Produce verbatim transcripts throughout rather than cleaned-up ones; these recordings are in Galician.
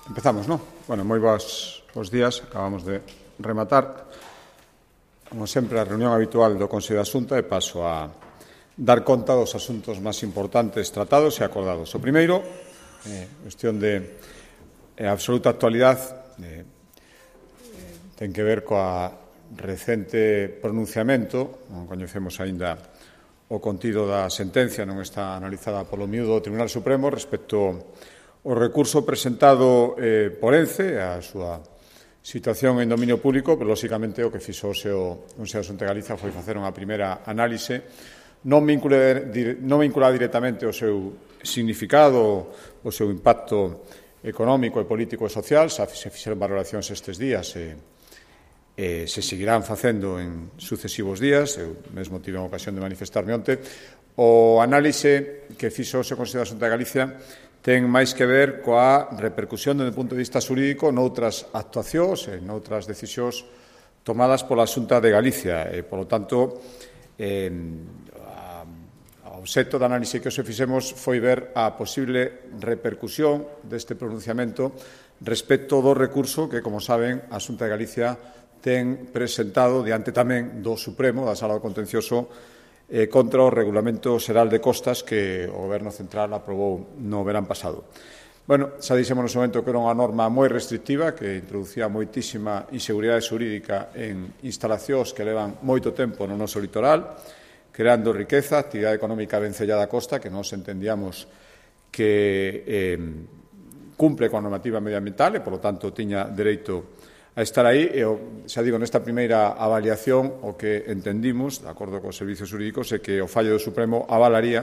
Empezamos, non? Bueno, moi bons, bons días. Acabamos de rematar, como sempre, a reunión habitual do Consello da Xunta e paso a dar conta dos asuntos máis importantes tratados e acordados. O primeiro, eh, cuestión de eh, absoluta actualidade, eh, ten que ver coa recente pronunciamento, non coñecemos aínda o contido da sentencia, non está analizada polo miúdo do Tribunal Supremo respecto o recurso presentado eh, por Ence, a súa situación en dominio público, pero, lóxicamente, o que fixo o seu Consello da Xunta de Galicia foi facer unha primeira análise non vinculada, non vinculada directamente ao seu significado, o seu impacto económico e político e social. Se fixeron valoracións estes días e, e se seguirán facendo en sucesivos días. Eu mesmo tive a ocasión de manifestarme onte. O análise que fixo o seu Consello da Xunta de Galicia ten máis que ver coa repercusión desde o punto de vista xurídico noutras actuacións e noutras decisións tomadas pola Xunta de Galicia. E, polo tanto, eh, o obxecto da análise que hoxe fixemos foi ver a posible repercusión deste pronunciamento respecto do recurso que, como saben, a Xunta de Galicia ten presentado diante tamén do Supremo, da Sala do Contencioso, Eh, contra o Regulamento Xeral de Costas que o Goberno Central aprobou no verán pasado. Bueno, xa dixemos no seu momento que era unha norma moi restrictiva que introducía moitísima inseguridade xurídica en instalacións que levan moito tempo no noso litoral, creando riqueza, actividade económica vencellada á costa, que nós entendíamos que eh, cumple coa normativa medioambiental e, polo tanto, tiña dereito a estar aí. E, xa digo, nesta primeira avaliación o que entendimos, de acordo cos servizos jurídicos, é que o fallo do Supremo avalaría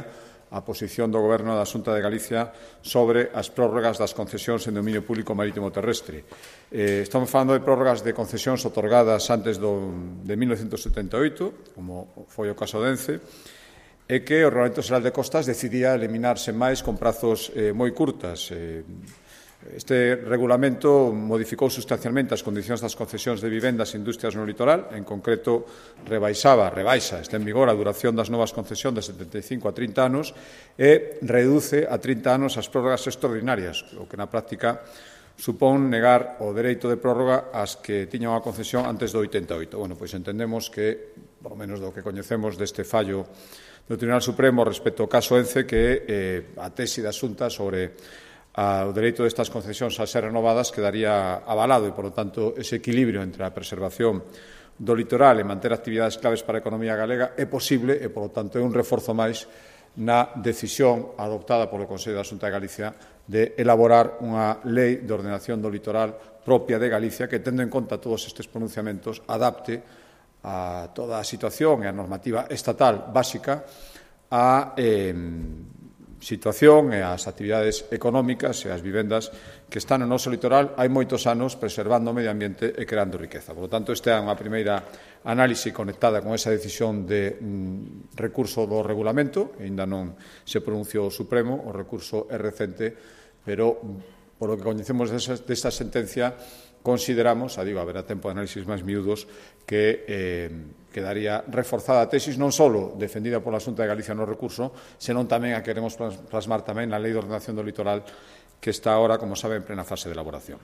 a posición do Goberno da Xunta de Galicia sobre as prórrogas das concesións en dominio público marítimo terrestre. Eh, estamos falando de prórrogas de concesións otorgadas antes do, de mil novecentos setenta e oito, como foi o caso de Ence, e que o Regulamento Xeral de Costas decidía eliminarse máis con prazos eh, moi curtas. Eh, Este regulamento modificou sustancialmente as condicións das concesións de vivendas e industrias no litoral. En concreto, rebaixaba, rebaixa, está en vigor a duración das novas concesións de setenta e cinco a trinta anos e reduce a trinta anos as prórrogas extraordinarias, o que na práctica supón negar o dereito de prórroga ás que tiñan unha concesión antes do oitenta e oito. Bueno, pois entendemos que, por lo menos do que coñecemos deste fallo do Tribunal Supremo respecto ao caso Ence, que eh, a tesi da Xunta sobre o dereito destas concesións a ser renovadas quedaría avalado e, polo tanto, ese equilibrio entre a preservación do litoral e manter actividades claves para a economía galega é posible e, polo tanto, é un reforzo máis na decisión adoptada polo Consello da Xunta de Galicia de elaborar unha lei de ordenación do litoral propia de Galicia que, tendo en conta todos estes pronunciamentos, adapte a toda a situación e a normativa estatal básica a eh, situación e as actividades económicas e as vivendas que están no noso litoral hai moitos anos preservando o medio ambiente e creando riqueza. Por lo tanto, esta é unha primeira análise conectada con esa decisión de mm, recurso do regulamento. Ainda non se pronunciou o Supremo, o recurso é recente, pero, por lo que coñecemos desa, desta sentencia, consideramos, a digo, haberá tempo de análisis máis miúdos, que eh, quedaría reforzada a tesis non só defendida pola Xunta de Galicia no recurso, senón tamén a que queremos plasmar tamén na Lei de Ordenación do Litoral, que está ahora, como saben, en plena fase de elaboración.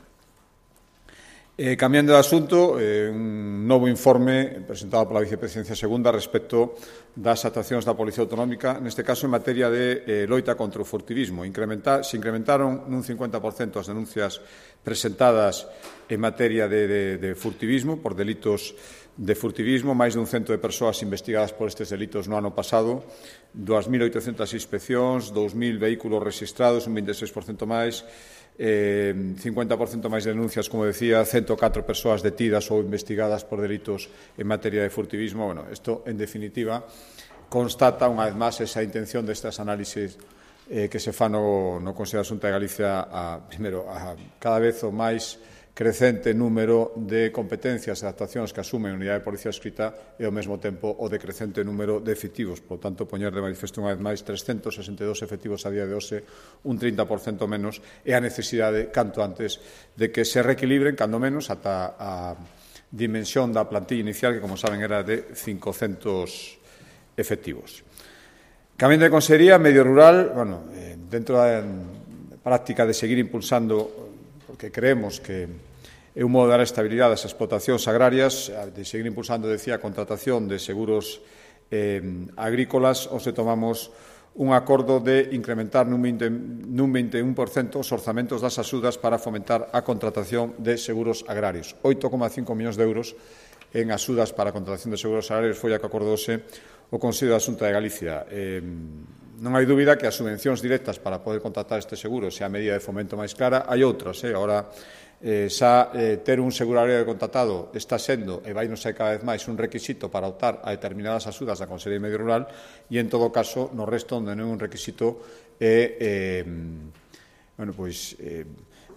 Eh, cambiando de asunto, eh, un novo informe presentado pola Vicepresidencia Segunda respecto das actuacións da Policía Autonómica, neste caso en materia de eh, loita contra o furtivismo. Incrementa, se incrementaron nun cincuenta por cento as denuncias presentadas en materia de, de, de furtivismo, por delitos de furtivismo, máis dun cento de persoas investigadas por estes delitos no ano pasado, dúas mil oitocentas inspeccións, dous mil vehículos registrados, un vinte e seis por cento máis, eh, cincuenta por cento máis denuncias, como decía, ciento catro persoas detidas ou investigadas por delitos en materia de furtivismo. Bueno, isto, en definitiva, constata unha vez máis esa intención destas análisis eh, que se fa no, no Consello da Xunta de Galicia a, primeiro, a cada vez o máis crecente número de competencias e actuacións que asumen a unidade de policía escrita e, ao mesmo tempo, o decrecente número de efectivos. Por tanto, poñer de manifesto unha vez máis trescentos sesenta e dous efectivos a día de hoxe, un trinta por cento menos, e a necesidade, canto antes, de que se reequilibren, cando menos, ata a dimensión da plantilla inicial, que, como saben, era de cincocentos efectivos. Cambiando de consellería, medio rural, bueno, eh, dentro da práctica de seguir impulsando porque creemos que é un modo de dar estabilidade ás explotacións agrarias, de seguir impulsando, decía, a contratación de seguros eh, agrícolas, ou se tomamos un acordo de incrementar nun vinte e un por cento os orzamentos das axudas para fomentar a contratación de seguros agrarios. oito coma cinco millóns de euros en axudas para a contratación de seguros agrarios foi a que acordouse o Consello da Xunta de Galicia. Eh, non hai dúbida que as subvencións directas para poder contratar este seguro sea a medida de fomento máis clara. Hai outras, eh? Agora, eh, xa eh, ter un seguro agrario contratado está sendo, e vai non ser cada vez máis, un requisito para optar a determinadas axudas da Consellería de Medio Rural, e, en todo caso, no resto, onde non é un requisito, é, eh, bueno, pois, eh,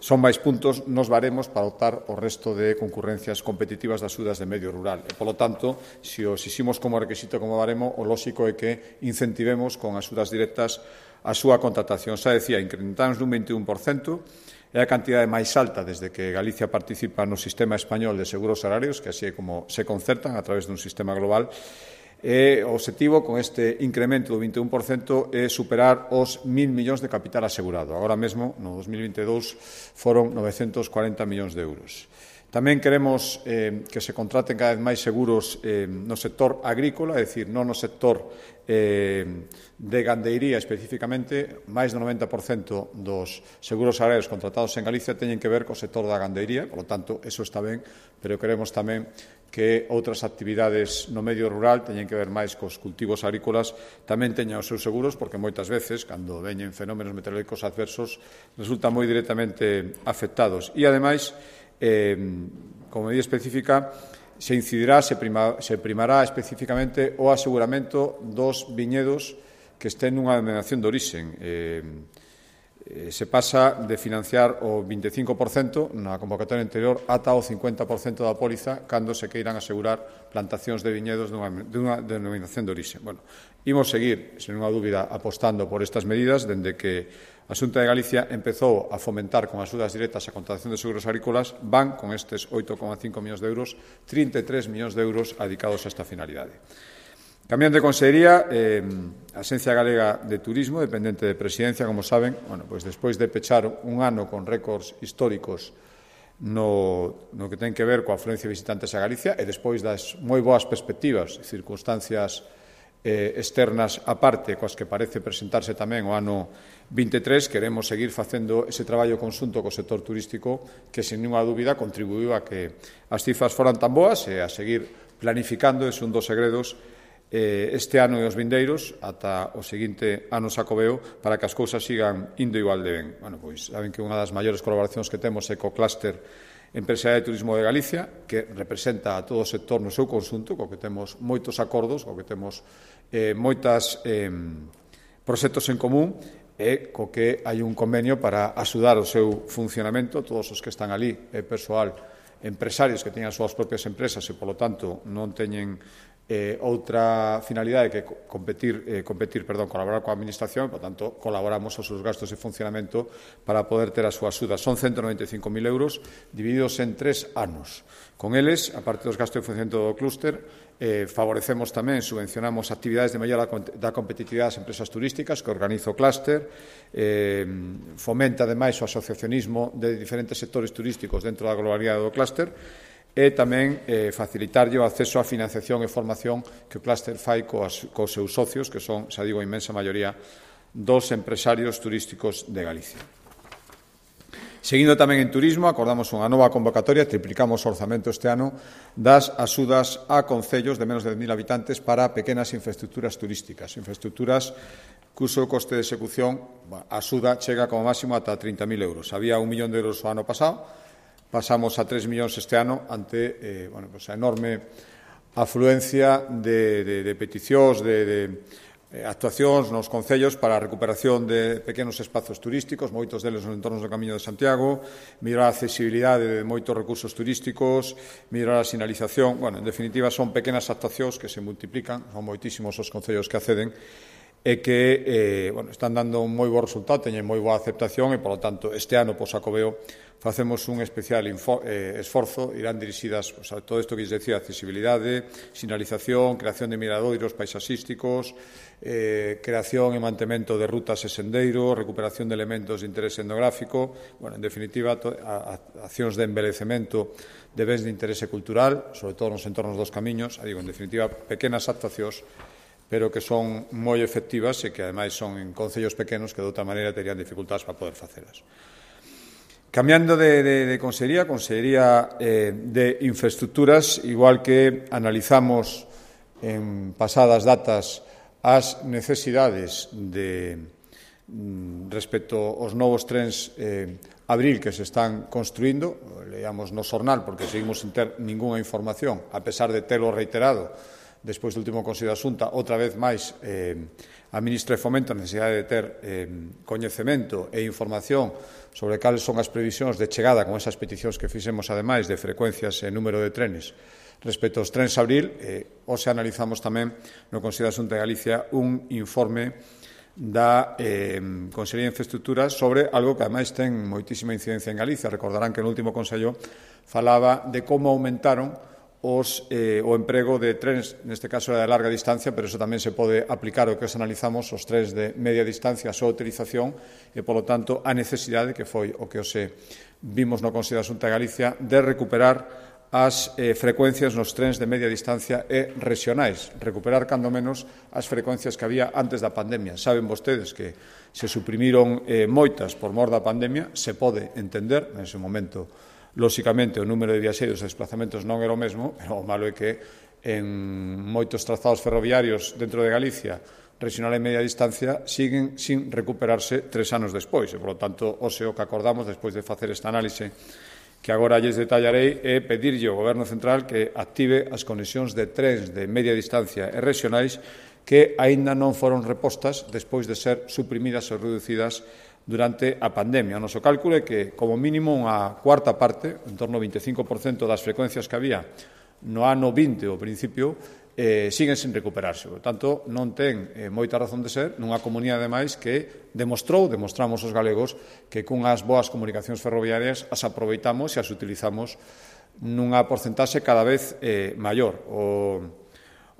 son máis puntos nos baremos para optar o resto de concurrencias competitivas das axudas de medio rural. E, polo tanto, se os eximos como requisito como baremo, o lóxico é que incentivemos con axudas directas a súa contratación. Xa decía, incrementamos nun vinte e un por cento, é a cantidade máis alta desde que Galicia participa no sistema español de seguros agrarios, que así é como se concertan a través dun sistema global. E o obxectivo con este incremento do vinte e un por cento é superar os mil millóns de capital asegurado. Agora mesmo, no dos mil vinte e dous, foron novecentos cuarenta millóns de euros. Tamén queremos eh, que se contraten cada vez máis seguros eh, no sector agrícola, é dicir, non no sector eh, de gandeiría especificamente. Máis do noventa por cento dos seguros agrarios contratados en Galicia teñen que ver co sector da gandeiría, por lo tanto, eso está ben, pero queremos tamén que outras actividades no medio rural teñen que ver máis cos cultivos agrícolas tamén teñan os seus seguros, porque moitas veces, cando veñen fenómenos meteorológicos adversos, resultan moi directamente afectados. E, ademais, eh, como medida específica, se incidirá, se, prima, se primará especificamente o aseguramento dos viñedos que estén nunha denominación de orixen. Eh, eh, se pasa de financiar o vinte e cinco por cento na convocatoria anterior ata o cincuenta por cento da póliza cando se queiran asegurar plantacións de viñedos dunha, dunha denominación de orixen. Bueno, imos seguir, sen unha dúbida, apostando por estas medidas, dende que a Xunta de Galicia empezou a fomentar con axudas directas a contratación de seguros agrícolas, van con estes oito coma cinco millóns de euros, trinta e tres millóns de euros dedicados a esta finalidade. Cambiando de consellería, eh, a Axencia Galega de Turismo, dependente de Presidencia, como saben, bueno, pues despois de pechar un ano con récords históricos no, no que ten que ver coa afluencia de visitantes a Galicia e despois das moi boas perspectivas e circunstancias eh, externas aparte, coas que parece presentarse tamén o ano vinte e tres, queremos seguir facendo ese traballo conxunto co sector turístico que, sen ninguna dúbida, contribuiu a que as cifras foran tan boas e a seguir planificando, ese un dos segredos, eh, este ano e os vindeiros ata o seguinte ano Xacobeo para que as cousas sigan indo igual de ben. Bueno, pois saben que unha das maiores colaboracións que temos é co clúster empresarial de turismo de Galicia, que representa a todo o sector no seu conxunto, co que temos moitos acordos, co que temos eh, moitas eh, proxectos en común, e co que hai un convenio para axudar o seu funcionamento. Todos os que están ali é persoal, empresarios que teñen as súas propias empresas e, polo tanto, non teñen eh, outra finalidade que competir, eh, competir perdón, colaborar coa Administración, por tanto, colaboramos os seus gastos de funcionamento para poder ter a súa axuda. Son ciento noventa e cinco mil euros divididos en tres anos. Con eles, a parte dos gastos de funcionamento do clúster, eh, favorecemos tamén, subvencionamos actividades de mellora da competitividade das empresas turísticas que organiza o clúster, eh, fomenta, ademais, o asociacionismo de diferentes sectores turísticos dentro da globalidade do clúster, e tamén eh, facilitarlle o acceso á financiación e formación que o clúster fai coas, cos seus socios, que son, xa digo, a inmensa maioría dos empresarios turísticos de Galicia. Seguindo tamén en turismo, acordamos unha nova convocatoria, triplicamos o orzamento este ano das axudas a concellos de menos de dez mil habitantes para pequenas infraestructuras turísticas, infraestructuras cuso coste de execución, a axuda chega como máximo ata trinta mil euros. Había un millón de euros o ano pasado, pasamos a tres millóns este ano ante eh, bueno, pues a enorme afluencia de, de, de peticións, de, de eh, actuacións nos concellos para a recuperación de pequenos espazos turísticos, moitos deles nos entornos do Camiño de Santiago, mellorar a accesibilidade de moitos recursos turísticos, mellorar a sinalización. Bueno, en definitiva, son pequenas actuacións que se multiplican, son moitísimos os concellos que acceden, e que eh, bueno, están dando un moi bo resultado, teñen moi boa aceptación e, polo tanto, este ano, pois, Xacobeo, facemos un especial eh, esforzo, irán dirixidas pues, a todo isto que lles decía, accesibilidade, sinalización, creación de miradoiros paisaxísticos, eh, creación e mantemento de rutas e sendeiros, recuperación de elementos de interese etnográfico, bueno, en definitiva, to, a, a, accións de embelecemento de bens de interese cultural, sobre todo nos entornos dos camiños, a digo, en definitiva, pequenas actuacións, pero que son moi efectivas e que, ademais, son en concellos pequenos que, de outra maneira, terían dificultades para poder facelas. Cambiando de, de, de consellería, consellería eh, de infraestructuras, igual que analizamos en pasadas datas as necesidades de, respecto aos novos trens eh, Abril que se están construindo, leamos no xornal porque seguimos sin ter ningunha información, a pesar de telo reiterado, despois do último Consello da Xunta, outra vez máis eh, a Ministra de Fomento a necesidade de ter eh, coñecemento e información sobre cales son as previsións de chegada con esas peticións que fixemos, ademais, de frecuencias e número de trenes respecto aos trens Abril. Eh, hoxe analizamos tamén no Consello da Xunta de Galicia un informe da eh, Consellería de Infraestructuras sobre algo que, ademais, ten moitísima incidencia en Galicia. Recordarán que no último Consello falaba de como aumentaron os, eh, o emprego de trens, neste caso era de larga distancia, pero eso tamén se pode aplicar ao que os analizamos, os trens de media distancia, a súa utilización e, polo tanto, a necesidade, que foi o que os eh, vimos no Consello da Xunta de Galicia, de recuperar as eh, frecuencias nos trens de media distancia e regionais, recuperar, cando menos, as frecuencias que había antes da pandemia. Saben vostedes que se suprimiron eh, moitas por mor da pandemia, se pode entender, nese momento, lóxicamente, o número de viaxeiros e desplazamentos non era o mesmo, pero o malo é que en moitos trazados ferroviarios dentro de Galicia, regional e media distancia, siguen sin recuperarse tres anos despois. E, por lo tanto, hoxe o que acordamos, despois de facer esta análise que agora lles detallarei, é pedirlle ao Goberno Central que active as conexións de trens de media distancia e regionais que aínda non foron repostas despois de ser suprimidas ou reducidas durante a pandemia. O noso cálculo é que, como mínimo, unha cuarta parte, en torno ao vinte e cinco por cento das frecuencias que había no ano vinte, ao principio, eh, siguen sin recuperarse. Por tanto, non ten eh, moita razón de ser nunha comunidade, ademais, que demostrou, demostramos os galegos, que cunhas boas comunicacións ferroviarias as aproveitamos e as utilizamos nunha porcentaxe cada vez eh, maior. O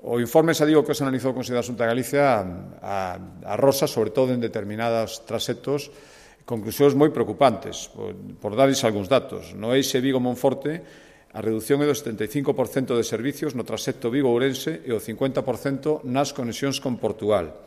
O informe, xa digo, que se analizou o Consello da Xunta de Galicia a, a rosa, sobre todo en determinados traxectos, conclusións moi preocupantes. Por, por darles algúns datos. No eixe Vigo-Monforte, a reducción é do setenta e cinco por cento de servicios no traxecto Vigo-Ourense e o cincuenta por cento nas conexións con Portugal.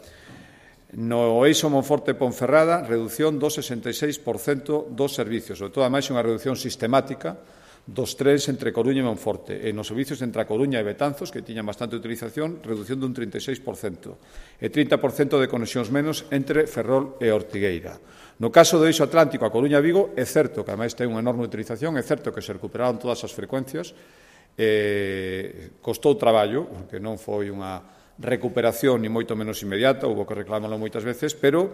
No eixo Monforte-Ponferrada, reducción do sesenta e seis por cento dos servicios, sobre todo, ademais, unha reducción sistemática dos trens entre Coruña e Monforte, e nos servicios entre a Coruña e Betanzos, que tiñan bastante utilización, reducción dun trinta e seis por cento, e trinta por cento de conexións menos entre Ferrol e Ortigueira. No caso do eixo Atlántico a Coruña-Vigo, é certo que, ademais, ten unha enorme utilización, é certo que se recuperaron todas as frecuencias, eh, costou traballo, porque non foi unha recuperación ni moito menos inmediata, houve que reclamarlo moitas veces, pero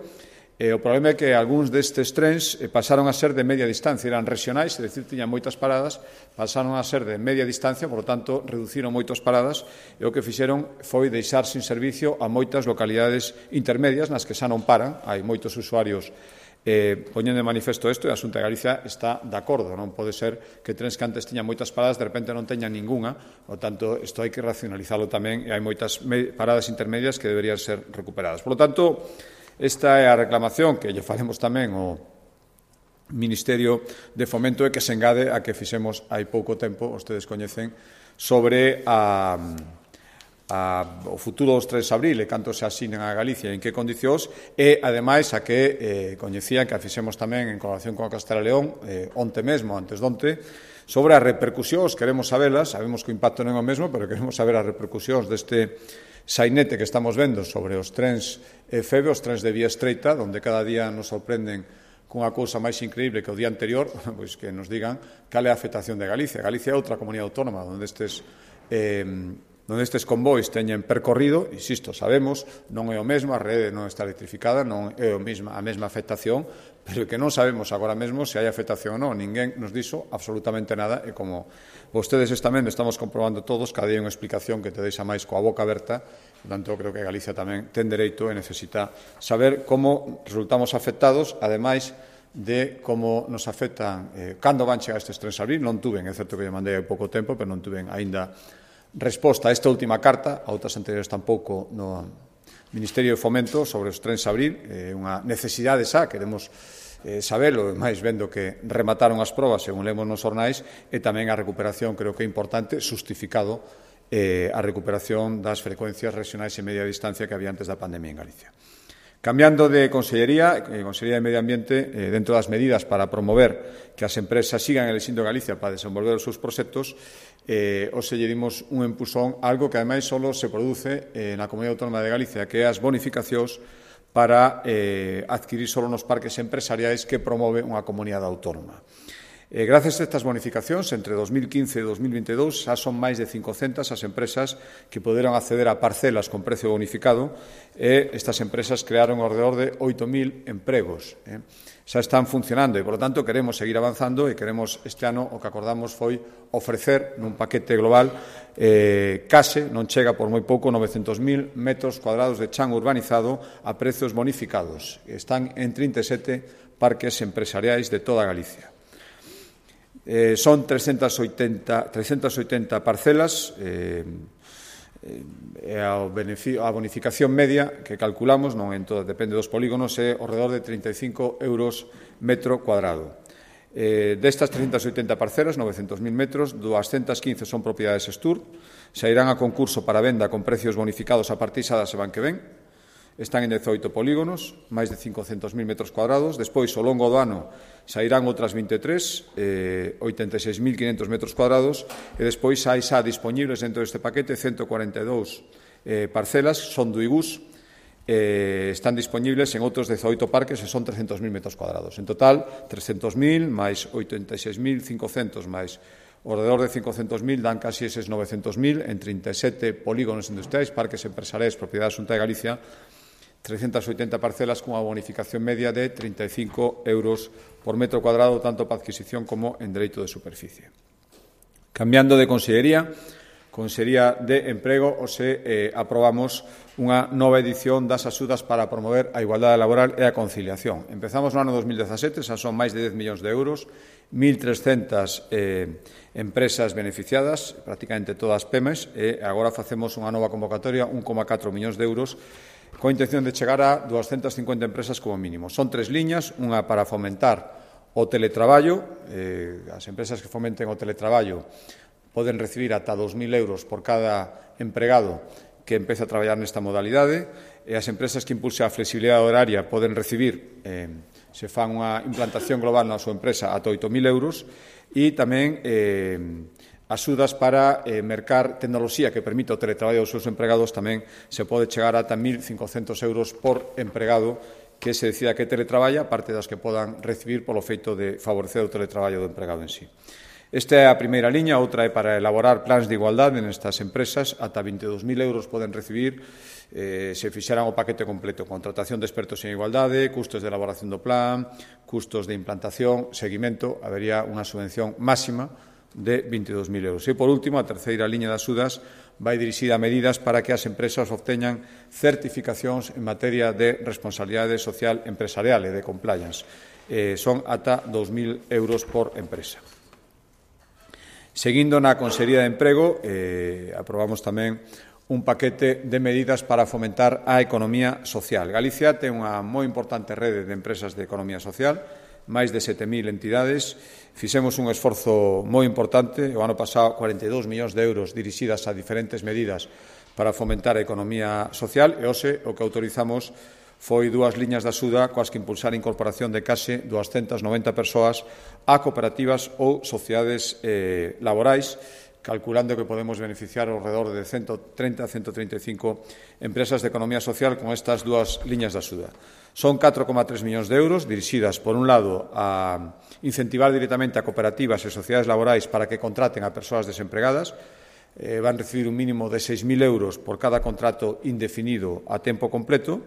Eh, o problema é que algúns destes trens eh, pasaron a ser de media distancia, eran regionais, é dicir, tiñan moitas paradas, pasaron a ser de media distancia, por lo tanto, reduciron moitas paradas, e o que fixeron foi deixar sin servicio a moitas localidades intermedias nas que xa non paran, hai moitos usuarios eh, poñendo de manifesto isto, e a Xunta de Galicia está de acordo, non pode ser que trens que antes tiñan moitas paradas de repente non teñan ninguna, por tanto, isto hai que racionalizarlo tamén, e hai moitas paradas intermedias que deberían ser recuperadas. Por lo tanto, esta é a reclamación que lle faremos tamén ao Ministerio de Fomento e que se engade a que fixemos hai pouco tempo, vostedes coñecen, sobre a, a, o futuro dos trens Abril e canto se asinen a Galicia e en que condicións, e, ademais, a que eh, coñecían que a fixemos tamén en colaboración con a Castela León, eh, onte mesmo, antes donte, sobre as repercusións, queremos sabelas, sabemos que o impacto non é o mesmo, pero queremos saber as repercusións deste sainete que estamos vendo sobre os trens F E B, os trens de vía estreita, onde cada día nos sorprenden cunha cousa máis increíble que o día anterior, pois que nos digan cal é a afectación de Galicia. Galicia é outra comunidade autónoma onde estes, eh, onde estes convois teñen percorrido, insisto, sabemos, non é o mesmo, a rede non está electrificada, non é o mesma, a mesma afectación, pero que non sabemos agora mesmo se hai afectación ou non. Ninguén nos dixo absolutamente nada, e como vostedes tamén estamos comprobando todos, cada día hai unha explicación que te deixa máis coa boca aberta. Por tanto, creo que Galicia tamén ten dereito e necesita saber como resultamos afectados, ademais de como nos afectan, eh, cando van chegar estes trenes a abrir. Non tuven, é certo que lle mandei hai pouco tempo, pero non tuven aínda resposta a esta última carta, a outras anteriores tampouco no Ministerio de Fomento sobre os trenes a abrir. É unha necesidade xa, queremos eh, sabelo, máis vendo que remataron as probas, según lemos nos jornais, e tamén a recuperación, creo que é importante, justificado eh, a recuperación das frecuencias regionais e media distancia que había antes da pandemia en Galicia. Cambiando de Consellería, eh, Consellería de Medio Ambiente, eh, dentro das medidas para promover que as empresas sigan elixindo Galicia para desenvolver os seus proxectos, eh, hoxe lle dimos un empusón a algo que ademais só se produce eh, na Comunidade Autónoma de Galicia, que é as bonificacións para eh, adquirir só nos parques empresariais que promove unha comunidade autónoma. Eh, gracias a estas bonificacións, entre dos mil quince e dos mil vinte e dous, xa son máis de cincocentas as empresas que poderon acceder a parcelas con precio bonificado, e estas empresas crearon alrededor de oito mil empregos. Eh. Xa están funcionando e, por lo tanto, queremos seguir avanzando e queremos, este ano, o que acordamos foi ofrecer nun paquete global eh, case, non chega por moi pouco, novecentos mil metros cuadrados de chan urbanizado a prezos bonificados. Están en trinta e sete parques empresariais de toda Galicia. Eh, son trescentas oitenta parcelas, eh, eh, a, a bonificación media que calculamos, non en todo, depende dos polígonos, é ao redor de trinta e cinco euros metro cuadrado. Eh, destas trescentas oitenta parcelas, novecentos mil metros, doscientas quince son propiedades Estur, se irán a concurso para venda con precios bonificados a partir xa da semana que ven. Están en dezoito polígonos, máis de cincocentos mil metros cuadrados. Despois, ao longo do ano, sairán outras vinte e tres, eh, oitenta e seis mil quinhentos metros cuadrados, e despois hai xa disponibles dentro deste paquete ciento cuarenta e dous eh, parcelas, son do I G U S, eh, están disponibles en outros dezoito parques e son trescentos mil metros cuadrados. En total, trescentos mil máis oitenta e seis mil cincocentos máis ao redor de cincocentos mil dan casi eses novecentos mil en trinta e sete polígonos industriais, parques empresariais, propiedade da Xunta de Galicia, trescentas oitenta parcelas cunha bonificación media de trinta e cinco euros por metro cuadrado, tanto para adquisición como en dereito de superficie. Cambiando de Consellería, Consellería de Emprego, hoxe eh, aprobamos unha nova edición das axudas para promover a igualdade laboral e a conciliación. Empezamos no ano dos mil dezasete, xa son máis de dez millóns de euros, mil trescentas eh, empresas beneficiadas, prácticamente todas PEMES, e agora facemos unha nova convocatoria, un coma catro millóns de euros, coa intención de chegar a doscientas cincuenta empresas como mínimo. Son tres liñas, unha para fomentar o teletraballo, eh, as empresas que fomenten o teletraballo poden recibir ata dos mil euros por cada empregado que empece a traballar nesta modalidade, e as empresas que impulsen a flexibilidade horaria poden recibir, eh, se fan unha implantación global na súa empresa, ata oito mil euros, e tamén eh, axudas para eh, mercar tecnoloxía que permita o teletraballo dos seus empregados, tamén se pode chegar ata mil cincocentos euros por empregado que se decida que teletraballa, parte das que podan recibir polo feito de favorecer o teletraballo do empregado en sí. Esta é a primeira liña, outra é para elaborar plans de igualdade nestas empresas, ata vinte e dous mil euros poden recibir eh, se fixeran o paquete completo, contratación de expertos en igualdade, custos de elaboración do plan, custos de implantación, seguimento, habería unha subvención máxima de vinte e dous mil euros. E, por último, a terceira liña de axudas vai dirixida a medidas para que as empresas obteñan certificacións en materia de responsabilidade social empresarial e de compliance. Eh, son ata dous mil euros por empresa. Seguindo na Consellería de Emprego, eh, aprobamos tamén un paquete de medidas para fomentar a economía social. Galicia ten unha moi importante rede de empresas de economía social, máis de sete mil entidades. Fixemos un esforzo moi importante, o ano pasado cuarenta e dous millóns de euros dirixidas a diferentes medidas para fomentar a economía social, e hoxe o que autorizamos foi dúas liñas de axuda coas que impulsar a incorporación de case doscientas noventa persoas a cooperativas ou sociedades eh, laborais, calculando que podemos beneficiar ao redor de ciento trinta a ciento trinta e cinco empresas de economía social con estas dúas liñas de axuda. Son catro coma tres millóns de euros dirixidas, por un lado, a incentivar directamente a cooperativas e sociedades laborais para que contraten a persoas desempregadas. Eh, van recibir un mínimo de seis mil euros por cada contrato indefinido a tempo completo.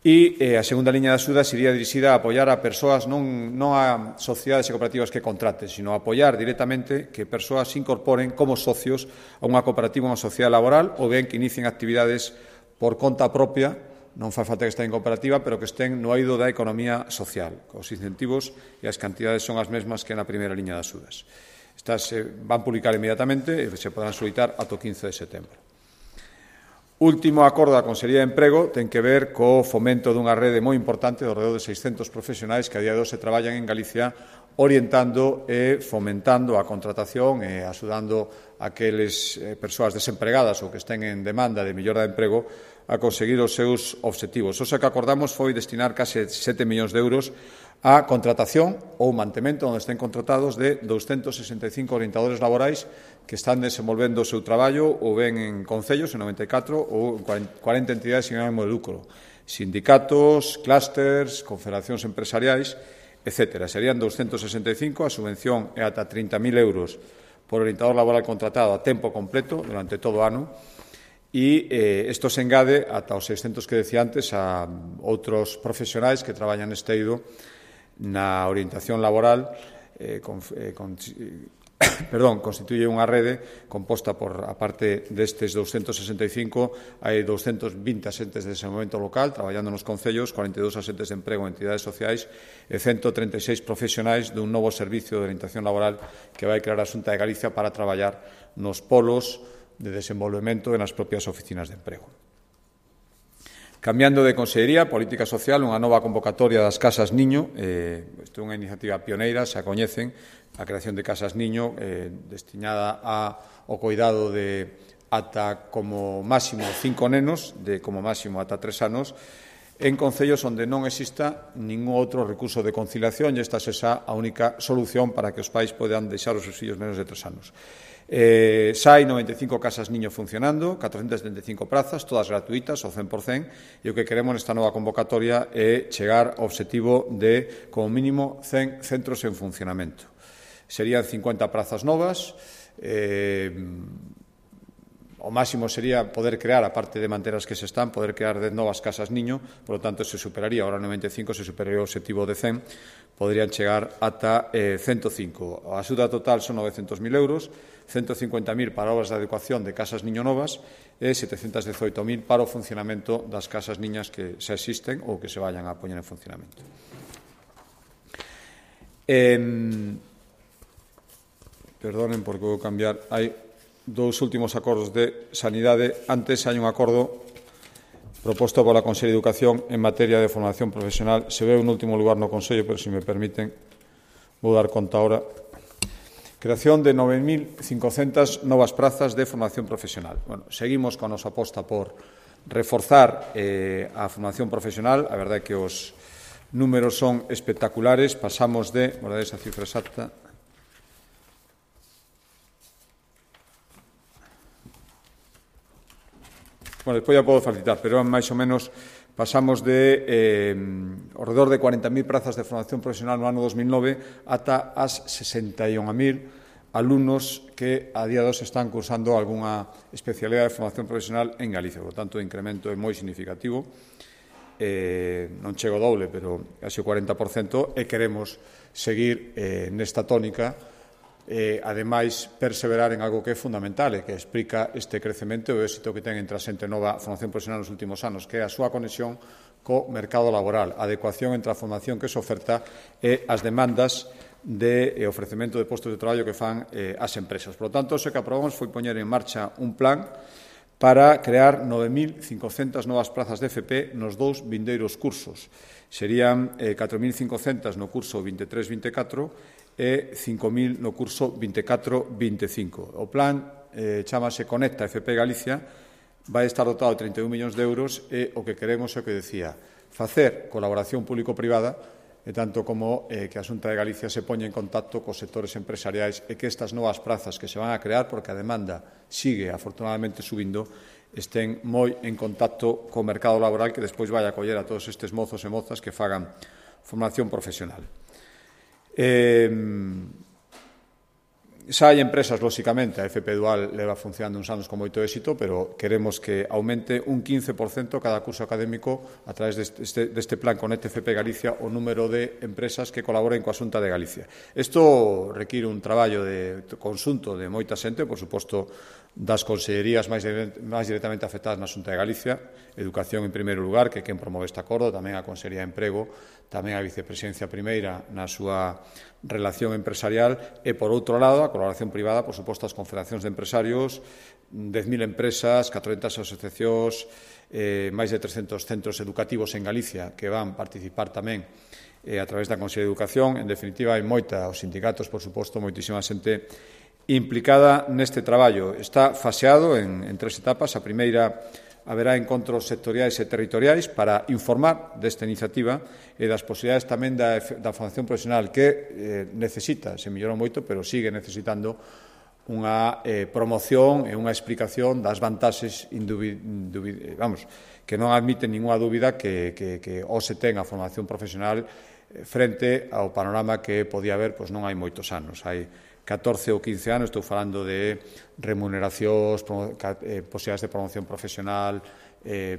E eh, a segunda liña de axuda sería dirixida a apoiar a persoas, non, non a sociedades e cooperativas que contraten, sino a apoiar directamente que persoas se incorporen como socios a unha cooperativa ou unha sociedade laboral, ou ben que inicien actividades por conta propia non fai falta que estén en cooperativa, pero que estén no eido da economía social. Os incentivos e as cantidades son as mesmas que na primeira liña das axudas. Estas se van publicar inmediatamente e se podrán solicitar ata o quince de setembro. Último acordo da Consellería de Emprego ten que ver co fomento dunha rede moi importante de alrededor de seiscentos profesionais que a día de hoxe traballan en Galicia orientando e fomentando a contratación e axudando a aqueles eh, persoas desempregadas ou que estén en demanda de mellora de emprego a conseguir os seus obxectivos. O que acordamos foi destinar case sete millóns de euros a contratación ou mantemento onde estén contratados de douscentos sesenta e cinco orientadores laborais que están desenvolvendo o seu traballo ou ben en concellos, en noventa e catro, ou en cuarenta entidades sin ánimo de lucro, sindicatos, clústers, confederacións empresariais, etcétera. Serían douscentos sesenta e cinco, a subvención é ata trinta mil euros por orientador laboral contratado a tempo completo durante todo o ano, e eh, isto se engade ata os seiscentos que decía antes a outros profesionais que traballan neste eido na orientación laboral, eh, con, eh, con, perdón, constituye unha rede composta por, a parte destes douscentos sesenta e cinco, hai douscentos vinte asentes de desenvolvemento local traballando nos concellos, cuarenta e dous asentes de emprego en entidades sociais e ciento treinta e seis profesionais dun novo servicio de orientación laboral que vai crear a Xunta de Galicia para traballar nos polos de desenvolvemento e nas propias oficinas de emprego. Cambiando de Consellería, Política Social, unha nova convocatoria das Casas Niño. Eh, isto é unha iniciativa pioneira, xa coñecen, a creación de Casas Niño eh, destinada ao cuidado de ata como máximo cinco nenos, de como máximo ata tres anos, en concellos onde non exista ningún outro recurso de conciliación e esta é xa a única solución para que os pais podan deixar os seus fillos menos de tres anos. Eh, xa hai noventa e cinco casas niño funcionando, catrocentas setenta e cinco prazas, todas gratuitas, ao cen por cen, e o que queremos nesta nova convocatoria é chegar ao obxectivo de, como mínimo, cen centros en funcionamento. Serían cincuenta prazas novas, eh, o máximo sería poder crear, aparte de manter as que se están, poder crear dez novas casas niño, por lo tanto, se superaría, ahora noventa e cinco, se superaría o obxectivo de cen, podrían chegar ata eh, ciento cinco. A axuda total son novecentos mil euros, ciento cincuenta mil para obras de adecuación de casas niño novas e setecentos dezoito mil para o funcionamento das casas niñas que xa existen ou que se vayan a poñer en funcionamento. Eh, perdonen, porque vou cambiar. Hai dous últimos acordos de sanidade. Antes hai un acordo proposto pola Consellería de Educación en materia de formación profesional. Se ve un último lugar no Consello, pero se me permiten, vou dar conta ahora. Creación de nove mil cincocentas novas prazas de formación profesional. Bueno, seguimos con a nosa aposta por reforzar eh, a formación profesional. A verdade é que os números son espectaculares. Pasamos de, vou dar esa cifra exacta, bueno, despois ya podo facilitar, pero máis ou menos pasamos de eh, ao redor de cuarenta mil prazas de formación profesional no ano dos mil nove ata as sesenta e un mil alumnos que a día de hoxe están cursando algunha especialidade de formación profesional en Galicia. Por tanto, o incremento é moi significativo. Eh, non chego doble, pero casi o cuarenta por cento, e queremos seguir eh, nesta tónica. Eh, ademais, perseverar en algo que é fundamental e que explica este crecemento e o éxito que ten entre a xente nova formación profesional nos últimos anos, que é a súa conexión co mercado laboral, a adecuación entre a formación que se oferta e as demandas de eh, ofrecemento de postos de traballo que fan eh, as empresas. Por lo tanto, o que aprobamos foi poñer en marcha un plan para crear nove mil cincocentas novas prazas de F P nos dous vindeiros cursos. Serían eh, catro mil cincocentas no curso vinte e tres vinte e catro e cinco mil no curso vinte e catro vinte e cinco. O plan eh, chamase Conecta F P Galicia, vai estar dotado de trinta e un millóns de euros e o que queremos é o que decía, facer colaboración público-privada e tanto como eh, que a Xunta de Galicia se poña en contacto cos sectores empresariais e que estas novas prazas que se van a crear, porque a demanda sigue afortunadamente subindo, estén moi en contacto co mercado laboral que despois vai a acoller a todos estes mozos e mozas que fagan formación profesional. Eh, Xa hai empresas, lóxicamente, a F P Dual leva funcionando uns anos con moito éxito, pero queremos que aumente un quince por cento cada curso académico a través deste, deste plan Conecte F P Galicia o número de empresas que colaboren coa Xunta de Galicia. Isto require un traballo de conxunto de moita xente, por suposto, das consellerías máis, máis directamente afectadas na Xunta de Galicia, Educación en primeiro lugar, que é quen promove este acordo, tamén a Consellería de Emprego, tamén a Vicepresidencia Primeira na súa relación empresarial e, por outro lado, a colaboración privada, por suposto, as confederacións de empresarios, dez mil empresas, catrocentas asociacións, eh, máis de trescentos centros educativos en Galicia que van participar tamén eh, a través da Consellería de Educación. En definitiva, hai moita, os sindicatos, por suposto, moitísima xente implicada neste traballo. Está faseado en, en tres etapas. A primeira, haberá encontros sectoriais e territoriais para informar desta iniciativa e das posibilidades tamén da, da formación profesional que eh, necesita, se mellorou moito, pero sigue necesitando unha eh, promoción e unha explicación das vantaxes vamos, que non admiten ninguna dúbida que, que, que o se ten a formación profesional frente ao panorama que podía haber, pois non hai moitos anos. Hai catorce ou quince anos, estou falando de remuneracións, eh, posibilidades de promoción profesional, eh,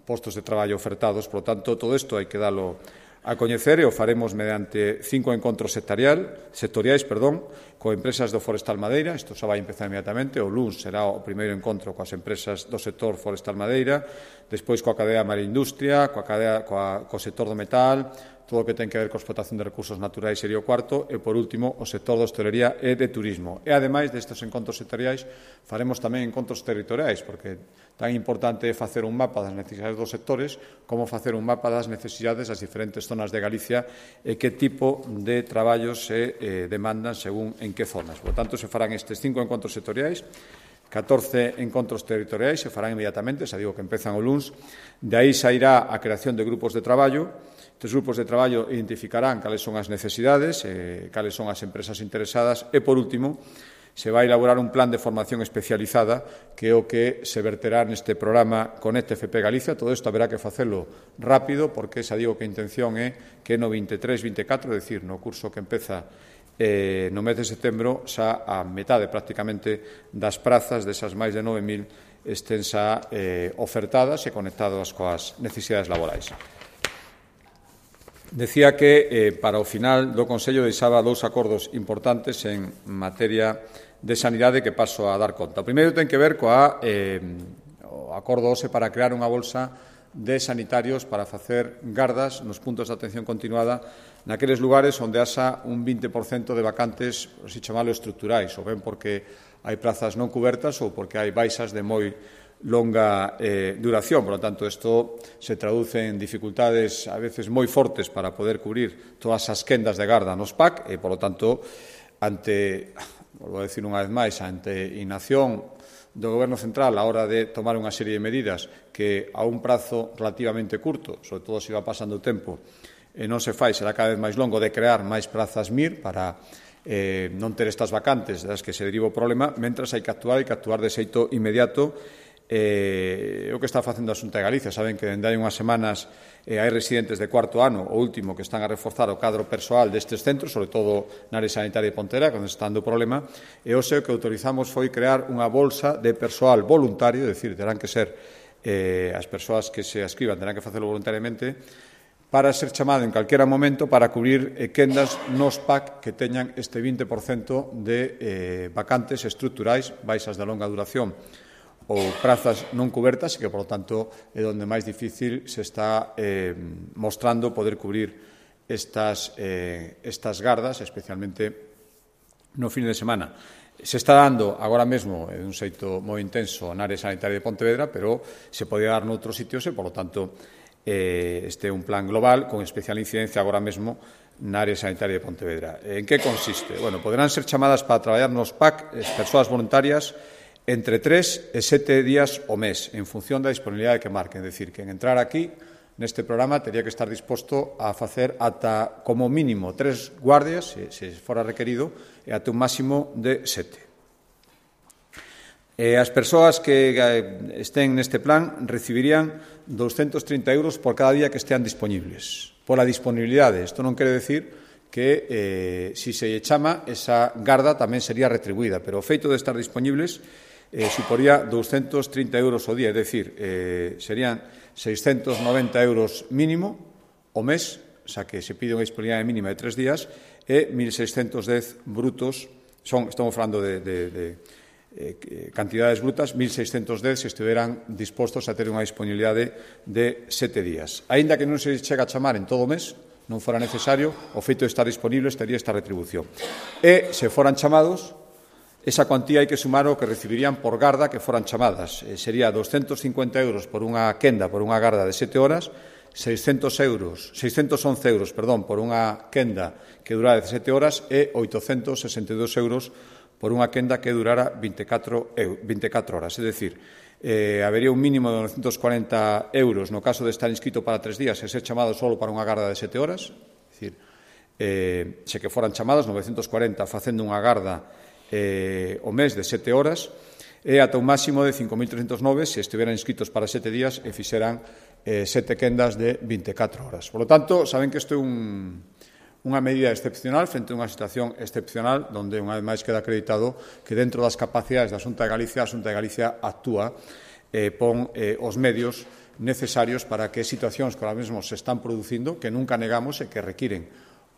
postos de traballo ofertados. Por lo tanto, todo isto hai que dalo a coñecer e o faremos mediante cinco encontros sectorial, sectoriais perdón, con empresas do Forestal Madeira. Isto xa vai empezar inmediatamente. O luns será o primeiro encontro coas empresas do sector Forestal Madeira, despois coa cadea Maria Industria, coa cadea, coa, co sector do metal, todo o que ten que ver coa explotación de recursos naturais sería o cuarto, e, por último, o sector da hostelería e de turismo. E, ademais destes encontros sectoriais, faremos tamén encontros territoriais, porque tan importante é facer un mapa das necesidades dos sectores como facer un mapa das necesidades das diferentes zonas de Galicia e que tipo de traballos se eh, demandan según en que zonas. Por tanto, se farán estes cinco encontros sectoriais, catorce encontros territoriais, se farán inmediatamente, xa digo que empezan o luns. De aí sairá a creación de grupos de traballo. Estes grupos de traballo identificarán cales son as necesidades, eh, cales son as empresas interesadas e, por último, se vai elaborar un plan de formación especializada que é o que se verterá neste programa Conecte F P Galicia. Todo isto haberá que facelo rápido porque xa digo que a intención é que no vinte e tres vinte e catro, é dicir, no curso que empeza eh, no mes de setembro, xa a metade prácticamente das prazas desas máis de nove mil estén xa eh, ofertadas e conectadas coas necesidades laborais. Decía que eh, para o final do Consello deixaba dous acordos importantes en materia de sanidade que paso a dar conta. O primeiro ten que ver coa eh, o acordo hoxe para crear unha bolsa de sanitarios para facer gardas nos puntos de atención continuada naqueles lugares onde haxa un vinte por cento de vacantes, se chamalo estruturais, ou ben porque hai prazas non cubertas ou porque hai baixas de moi longa eh, duración. Por lo tanto, isto se traduce en dificultades a veces moi fortes para poder cubrir todas as quendas de garda nos P A C e, por lo tanto, ante, volvo a decir unha vez máis, ante inacción do Goberno Central a hora de tomar unha serie de medidas que a un prazo relativamente curto, sobre todo se va pasando o tempo, e non se fai, será cada vez máis longo, de crear máis prazas M I R para eh, non ter estas vacantes das que se deriva o problema, mentras hai que actuar, hai que actuar de xeito inmediato. Eh, o que está facendo a Xunta de Galicia, saben que dende hai unhas semanas eh, hai residentes de cuarto ano, o último, que están a reforzar o cadro persoal destes centros, sobre todo na área sanitaria de Pontevedra, onde está dando o problema, e hoxe o que autorizamos foi crear unha bolsa de persoal voluntario, é dicir, terán que ser eh, as persoas que se ascriban, terán que facelo voluntariamente, para ser chamado en calquera momento para cubrir eh, quendas nos P A C que teñan este vinte por cento de eh, vacantes estruturais, baixas de longa duración ou prazas non cubertas, e que, por lo tanto, é onde máis difícil se está eh, mostrando poder cubrir estas, eh, estas gardas, especialmente no fin de semana. Se está dando agora mesmo de un xeito moi intenso na área sanitaria de Pontevedra, pero se podía dar noutros sitios e, por lo tanto, eh, este é un plan global con especial incidencia agora mesmo na área sanitaria de Pontevedra. En que consiste? Bueno, poderán ser chamadas para traballar nos P A C as persoas voluntarias entre tres e sete días ao mes, en función da disponibilidade que marquen. É dicir, que en entrar aquí, neste programa, teria que estar disposto a facer ata, como mínimo, tres guardias, se, se fora requerido, e ata un máximo de sete. E as persoas que estén neste plan recibirían doscientos trinta euros por cada día que estean disponibles. Pola disponibilidade. Isto non quere decir que, eh, si se lle chama, esa garda tamén sería retribuída, pero o feito de estar disponibles eh, suporía douscentos trinta euros ao día, é dicir, eh, serían seiscentos noventa euros mínimo o mes, xa que se pide unha disponibilidade mínima de tres días, e mil seiscentos dez brutos, son, estamos falando de, de, de eh, cantidades brutas, mil seiscentos dez se estiveran dispostos a ter unha disponibilidade de sete días. Aínda que non se chega a chamar en todo o mes, non fora necesario, o feito de estar disponible estaría esta retribución. E, se foran chamados, esa cuantía hai que sumar o que recibirían por garda que foran chamadas. Eh, sería doscentos cincuenta euros por unha quenda, por unha garda de sete horas, seiscentos euros, seiscentos once euros, perdón, por unha quenda que durara dezasete horas e oitocentos sesenta e dous euros por unha quenda que durara veintecatro horas. É dicir, eh, habería un mínimo de novecentos cuarenta euros no caso de estar inscrito para tres días e ser chamado só para unha garda de sete horas. É dicir, eh, se que foran chamados novecentos cuarenta facendo unha garda eh, o mes de sete horas e ata un máximo de cinco mil trescentos nove se estiveran inscritos para sete días e fixeran eh, sete quendas de veintecatro horas. Por lo tanto, saben que isto é un, unha medida excepcional frente a unha situación excepcional donde, unha vez máis, queda acreditado que dentro das capacidades da Xunta de Galicia, a Xunta de Galicia actúa, eh, pon eh, os medios necesarios para que situacións que ahora mesmo se están producindo, que nunca negamos e que requiren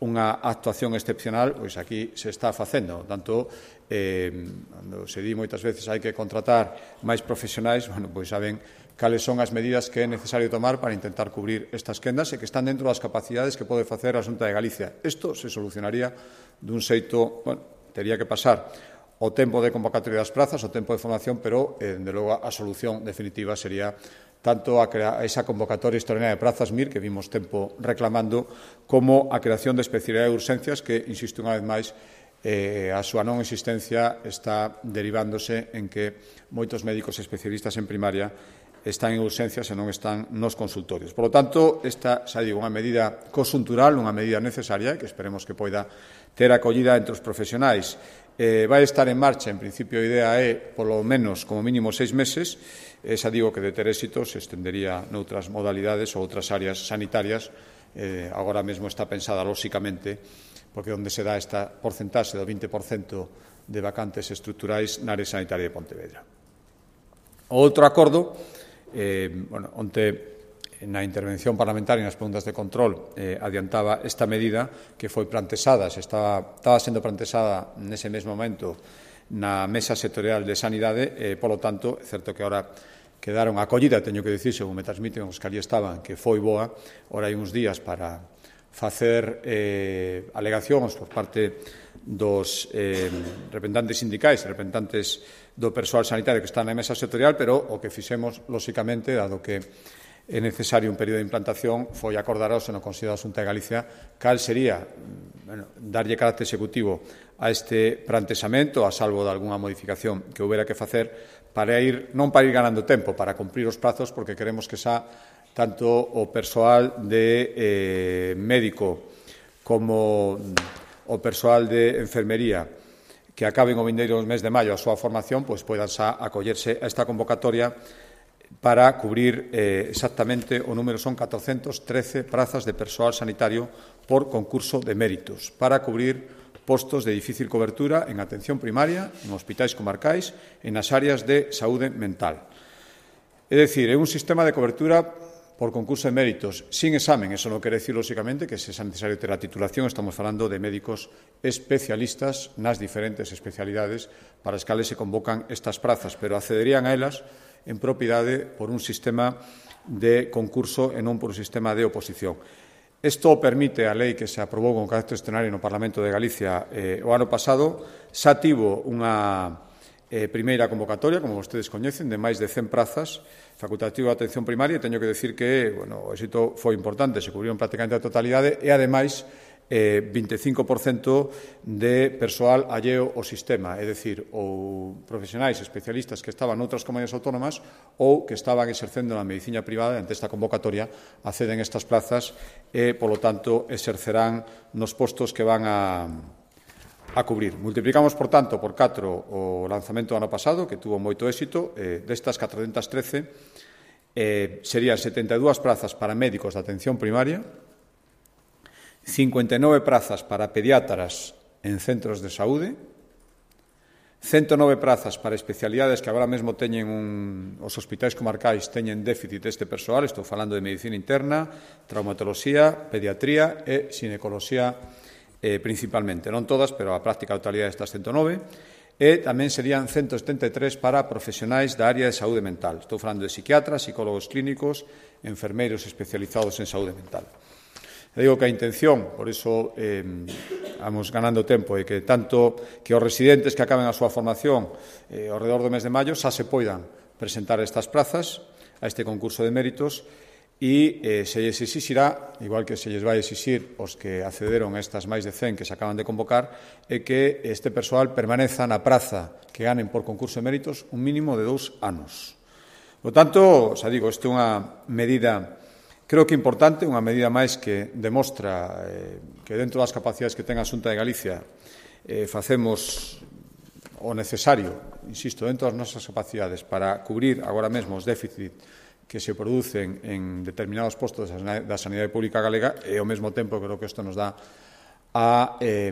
unha actuación excepcional, pois aquí se está facendo. Tanto, eh, cando se di moitas veces hai que contratar máis profesionais, bueno, pois saben cales son as medidas que é necesario tomar para intentar cubrir estas quendas e que están dentro das capacidades que pode facer a Xunta de Galicia. Isto se solucionaría dun xeito, bueno, tería que pasar o tempo de convocatoria das prazas, o tempo de formación, pero, eh, de logo, a solución definitiva sería tanto a, a esa convocatoria extraordinaria de prazas M I R, que vimos tempo reclamando, como a creación de especialidade de urxencias, que, insisto unha vez máis, eh, a súa non existencia está derivándose en que moitos médicos especialistas en primaria están en urxencias e non están nos consultorios. Por lo tanto, esta, xa digo, unha medida conxuntural, unha medida necesaria, que esperemos que poida ter acollida entre os profesionais. Eh, vai estar en marcha, en principio a idea é, polo menos, como mínimo, seis meses. Esa digo que de ter éxito se estendería noutras modalidades ou outras áreas sanitarias. Eh, agora mesmo está pensada, lóxicamente, porque onde se dá esta porcentaxe do vinte por cento de vacantes estruturais na área sanitaria de Pontevedra. O outro acordo, eh, bueno, onte na intervención parlamentaria e nas preguntas de control eh, adiantaba esta medida que foi plantexada, se estaba, estaba sendo plantexada nese mesmo momento na Mesa Sectorial de Sanidade, e, polo tanto, é certo que ahora quedaron acollida, teño que dicir, según me transmiten os que ali estaban, que foi boa, ahora hai uns días para facer eh, alegacións por parte dos eh, representantes sindicais, representantes do persoal sanitario que está na Mesa Sectorial, pero o que fixemos, lóxicamente, dado que é necesario un período de implantación, foi acordaros no Consello da Xunta de Galicia cal sería, bueno, darlle carácter executivo a este plantexamento, a salvo de algunha modificación que houbera que facer, para ir, non para ir ganando tempo, para cumprir os prazos, porque queremos que xa tanto o persoal de eh, médico como o persoal de enfermería que acaben o vindeiro mes de maio a súa formación, pois poidan xa acollerse a esta convocatoria para cubrir eh, exactamente o número son catorcentos trece prazas de persoal sanitario por concurso de méritos, para cubrir postos de difícil cobertura en atención primaria, en hospitais comarcais e nas áreas de saúde mental. É dicir, é un sistema de cobertura por concurso de méritos sin examen. Eso non quere decir, lóxicamente, que se é necesario ter a titulación. Estamos falando de médicos especialistas nas diferentes especialidades para as cales se convocan estas prazas, pero accederían a elas en propiedade por un sistema de concurso e non por un sistema de oposición. Isto permite a lei que se aprobou con carácter extraordinario no Parlamento de Galicia eh, o ano pasado. Xa tivo unha eh, primeira convocatoria, como vostedes coñecen, de máis de cen prazas facultativa de atención primaria, e teño que decir que bueno, o éxito foi importante, se cubriron prácticamente a totalidade e, ademais, eh, vinte e cinco por cento de persoal alleo ao sistema, é dicir, ou profesionais especialistas que estaban noutras comunidades autónomas ou que estaban exercendo na medicina privada. Ante esta convocatoria acceden estas plazas e, polo tanto, exercerán nos postos que van a, a cubrir. Multiplicamos, por tanto, por catro o lanzamento do ano pasado, que tuvo moito éxito. Eh, destas catrocentas trece eh, serían setenta e dúas prazas para médicos de atención primaria, cincuenta e nove prazas para pediatras en centros de saúde, ciento nove prazas para especialidades que agora mesmo teñen un, os hospitais comarcais teñen déficit deste persoal, estou falando de medicina interna, traumatoloxía, pediatría e xinecoloxía eh, principalmente, non todas, pero a práctica totalidade destas ciento nove, e tamén serían ciento setenta e tres para profesionais da área de saúde mental. Estou falando de psiquiatras, psicólogos clínicos, enfermeiros especializados en saúde mental. E digo que a intención, por iso eh, vamos ganando tempo, é que tanto que os residentes que acaben a súa formación eh, ao redor do mes de maio xa se poidan presentar estas prazas a este concurso de méritos e eh, se lles exixirá, igual que se lles vai exixir os que accederon a estas máis de cen que se acaban de convocar, é que este persoal permaneza na praza que ganen por concurso de méritos un mínimo de dous anos. Por tanto, xa digo, isto é unha medida, creo que importante, unha medida máis que demostra eh, que dentro das capacidades que ten a Xunta de Galicia eh, facemos o necesario, insisto, dentro das nosas capacidades para cubrir agora mesmo os déficit que se producen en determinados postos da sanidade pública galega e ao mesmo tempo creo que isto nos dá a, eh,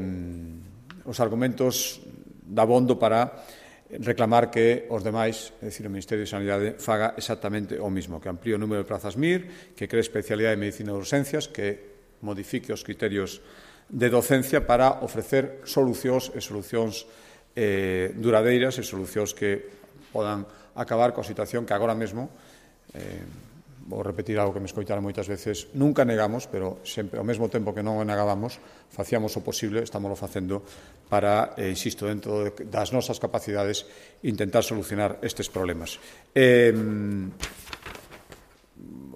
os argumentos dabondo para reclamar que os demais, é dicir, o Ministerio de Sanidade, faga exactamente o mismo, que amplíe o número de plazas M I R, que cree especialidade de medicina de urxencias, que modifique os criterios de docencia para ofrecer solucións e solucións eh, duradeiras e solucións que podan acabar coa situación que agora mesmo, eh, vou repetir algo que me escoitaron moitas veces, nunca negamos, pero sempre, ao mesmo tempo que non o negábamos, facíamos o posible, estamos facendo para, eh, insisto, dentro das nosas capacidades, intentar solucionar estes problemas. Eh,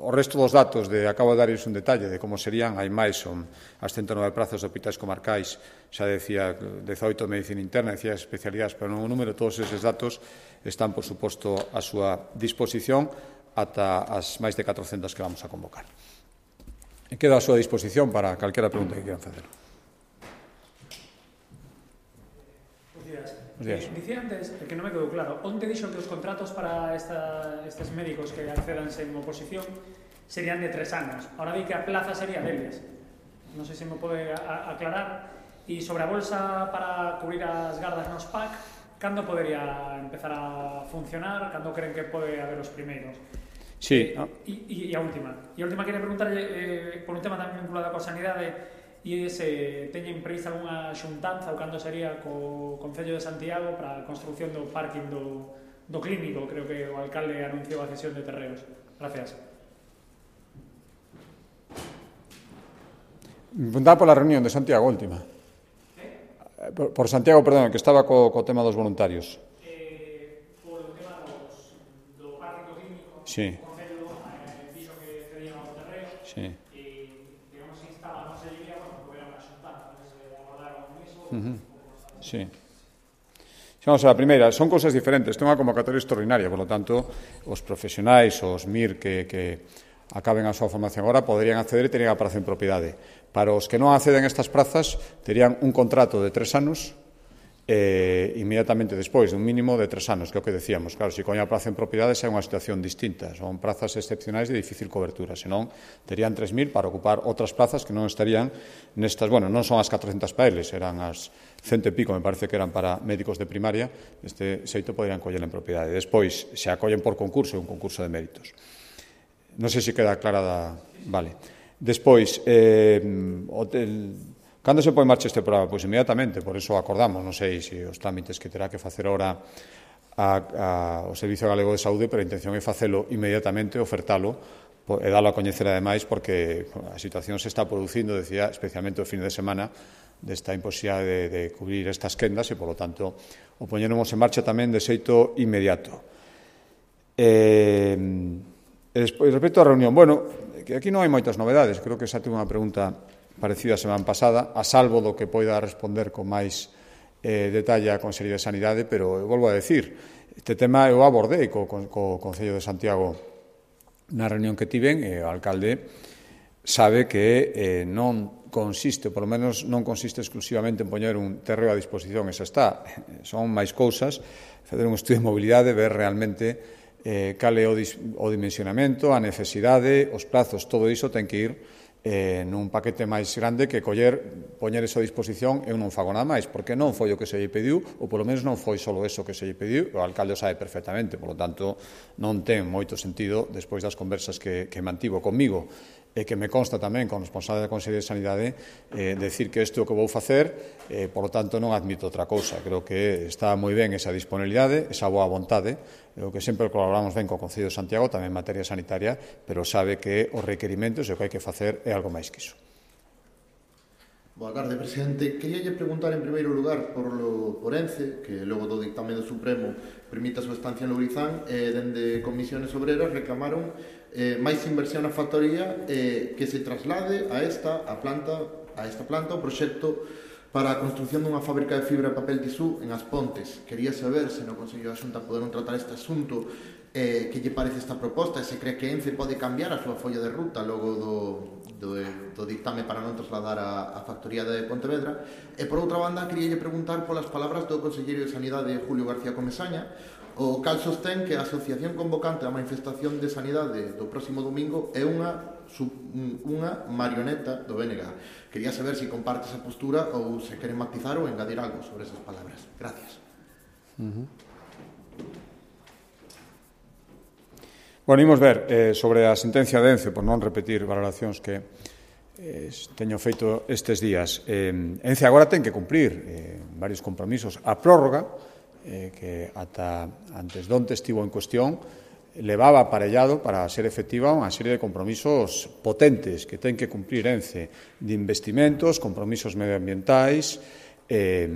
o resto dos datos, de, acabo de darles un detalle de como serían, hai máis, son as ciento nove prazas de hospitais comarcais, xa decía dezaoito de medicina interna, decía especialidades, pero non o número, todos eses datos están, por suposto, a súa disposición ata as máis de catrocentas que vamos a convocar. E quedo a súa disposición para calquera pregunta que quieran facer. Buenos días. Eh, dicía antes, que non me quedou claro, onde dixo que os contratos para esta, estes médicos que accedan sen oposición serían de tres anos. Ahora di que a plaza sería deles. Non sei se me pode a, aclarar. E sobre a bolsa para cubrir as gardas nos P A C, cando podería empezar a funcionar? Cando creen que pode haber os primeiros? Sí. E, e, e a última. E a última queria preguntarlle eh, por un tema tamén vinculado coa sanidade, e se teñen prevista algunha xuntanza ou cando sería co Concello de Santiago para a construción do parking do, do clínico. Creo que o alcalde anunciou a cesión de terreos. Gracias. Preguntaba pola reunión de Santiago última. Eh? Por, por Santiago, perdón, que estaba co, co tema dos voluntarios. Eh, por o tema dos, do parking do clínico, sí. O Concello eh, dixo que cedían ao terreo. Sí. Uh-huh. Sí. Vamos a la primeira, son cousas diferentes, ten unha convocatoria extraordinaria, por lo tanto, os profesionais, os M I R que, que acaben a súa formación agora poderían acceder e terían a praza en propiedade. Para os que non acceden a estas prazas, terían un contrato de tres anos eh, inmediatamente despois, de un mínimo de tres anos, que é o que decíamos. Claro, se coña a praza en propiedade xa é unha situación distinta, son prazas excepcionais de difícil cobertura, senón terían tres mil para ocupar outras plazas que non estarían nestas, bueno, non son as catrocentas para eles, eran as cento e pico, me parece que eran para médicos de primaria, este xeito poderían coller en propiedade. Despois, se acollen por concurso, é un concurso de méritos. Non sei se queda aclarada, vale. Despois, eh, hotel... Cando se pode en marcha este programa? Pois inmediatamente, por iso acordamos, non sei se os trámites que terá que facer ahora a, a, o Servicio Galego de Saúde, pero a intención é facelo inmediatamente, ofertalo e dalo a coñecer ademais, porque a situación se está producindo, decía, especialmente o fin de semana, desta imposibilidade de, de cubrir estas quendas e, polo tanto, o poñeremos en marcha tamén de xeito inmediato. Eh, e despois, respecto á reunión, bueno, que aquí non hai moitas novedades, creo que xa tengo unha pregunta parecida a semana pasada, a salvo do que poida responder con máis eh, detalle a Consellería de Sanidade, pero eu volvo a decir, este tema eu abordei co, co, co Concello de Santiago na reunión que tiven, e o alcalde sabe que eh, non consiste, por lo menos non consiste exclusivamente en poñer un terreo a disposición, esa está, son máis cousas, fazer un estudio de mobilidade, ver realmente eh, cal é o, dis, o dimensionamento, a necesidade, os plazos, todo iso ten que ir eh, nun paquete máis grande que coller, poñer iso a disposición, eu non fago nada máis, porque non foi o que se lle pediu, ou polo menos non foi só eso que se lle pediu, o alcalde o sabe perfectamente, polo tanto, non ten moito sentido, despois das conversas que, que mantivo comigo, e que me consta tamén con responsable da Consellería de Sanidade, eh, decir que isto é o que vou facer, eh, por lo tanto non admito outra cousa. Creo que está moi ben esa disponibilidade, esa boa vontade, o que sempre colaboramos ben co Concello de Santiago, tamén en materia sanitaria, pero sabe que os requerimentos e o que hai que facer é algo máis que iso. Boa tarde, presidente. Queríalle preguntar en primeiro lugar por, lo, por ENCE, que logo do dictame do Supremo permite a súa estancia en Lourizán, e dende Comisiones Obreras reclamaron eh, máis inversión na factoría eh, que se traslade a esta a planta a esta planta o proxecto para a construción dunha fábrica de fibra de papel tisú en As Pontes. Quería saber se no Consello da Xunta poderon tratar este asunto, eh, que lle parece esta proposta, e se cree que ENCE pode cambiar a súa folla de ruta logo do, do, do dictame para non trasladar a, a factoría de Pontevedra. E por outra banda, quería lle preguntar polas palabras do Conselleiro de Sanidade, Julio García Comesaña, o cal sostén que a asociación convocante da manifestación de sanidade do próximo domingo é unha, unha marioneta do B N G. Quería saber se comparte esa postura ou se queren matizar ou engadir algo sobre esas palabras. Gracias. Uh-huh. Bueno, imos ver eh, sobre a sentencia de ENCE, por non repetir valoracións que eh, teño feito estes días. Eh, ENCE agora ten que cumprir eh, varios compromisos. A prórroga, eh, que ata antes donte estivo en cuestión, levaba aparellado para ser efectiva unha serie de compromisos potentes que ten que cumprir ENCE, de investimentos, compromisos medioambientais, eh,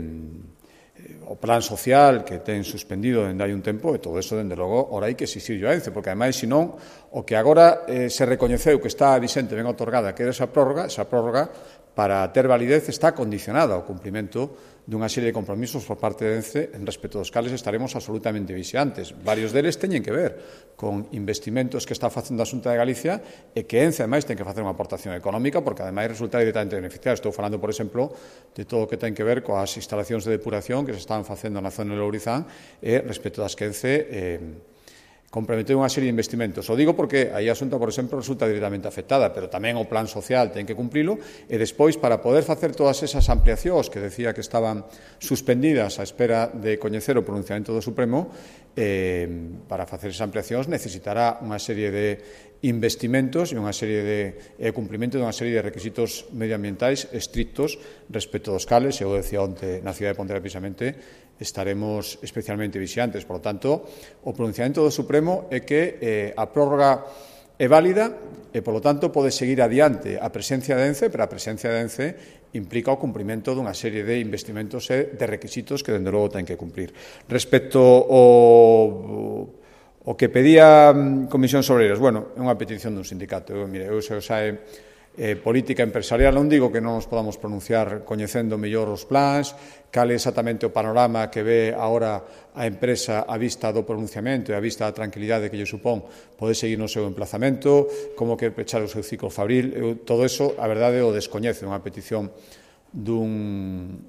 o plan social que ten suspendido dende hai un tempo, e todo eso, dende logo, ora hai que exixirlo a ENCE, porque ademais, senón, o que agora eh, se recoñeceu que está vixente ben otorgada, que era esa prórroga, esa prórroga, para ter validez, está condicionada ao cumprimento dunha serie de compromisos por parte de ENCE, en respecto dos cales estaremos absolutamente vixiantes. Varios deles teñen que ver con investimentos que está facendo a Xunta de Galicia e que ENCE, ademais, ten que facer unha aportación económica, porque, ademais, resulta directamente beneficiado. Estou falando, por exemplo, de todo o que ten que ver coas instalacións de depuración que se están facendo na zona de Lourizán e respecto das que ENCE eh, comprometeu unha serie de investimentos. O digo porque aí a Xunta, por exemplo, resulta directamente afectada, pero tamén o plan social ten que cumprilo, e despois, para poder facer todas esas ampliacións que decía que estaban suspendidas á espera de coñecer o pronunciamento do Supremo, eh, para facer esas ampliacións necesitará unha serie de investimentos e unha serie de eh, cumprimento dunha serie de requisitos medioambientais estrictos respecto dos cales, e eu decía onte na cidade de Pontevedra precisamente, estaremos especialmente vixiantes. Por lo tanto, o pronunciamento do Supremo é que eh, a prórroga é válida e, por lo tanto, pode seguir adiante a presencia de ENCE, pero a presencia de ENCE implica o cumprimento dunha serie de investimentos e de requisitos que, dende logo, ten que cumprir. Respecto ao o que pedía Comisións Obreiras, bueno, é unha petición dun sindicato. Eu, mire, eu se o sae eh, política empresarial, non digo que non nos podamos pronunciar coñecendo mellor os plans, cal é exactamente o panorama que ve agora a empresa a vista do pronunciamento e a vista da tranquilidade que lle supón poder seguir no seu emplazamento, como quer pechar o seu ciclo fabril. Eu, todo eso, a verdade, o descoñece. Unha petición dun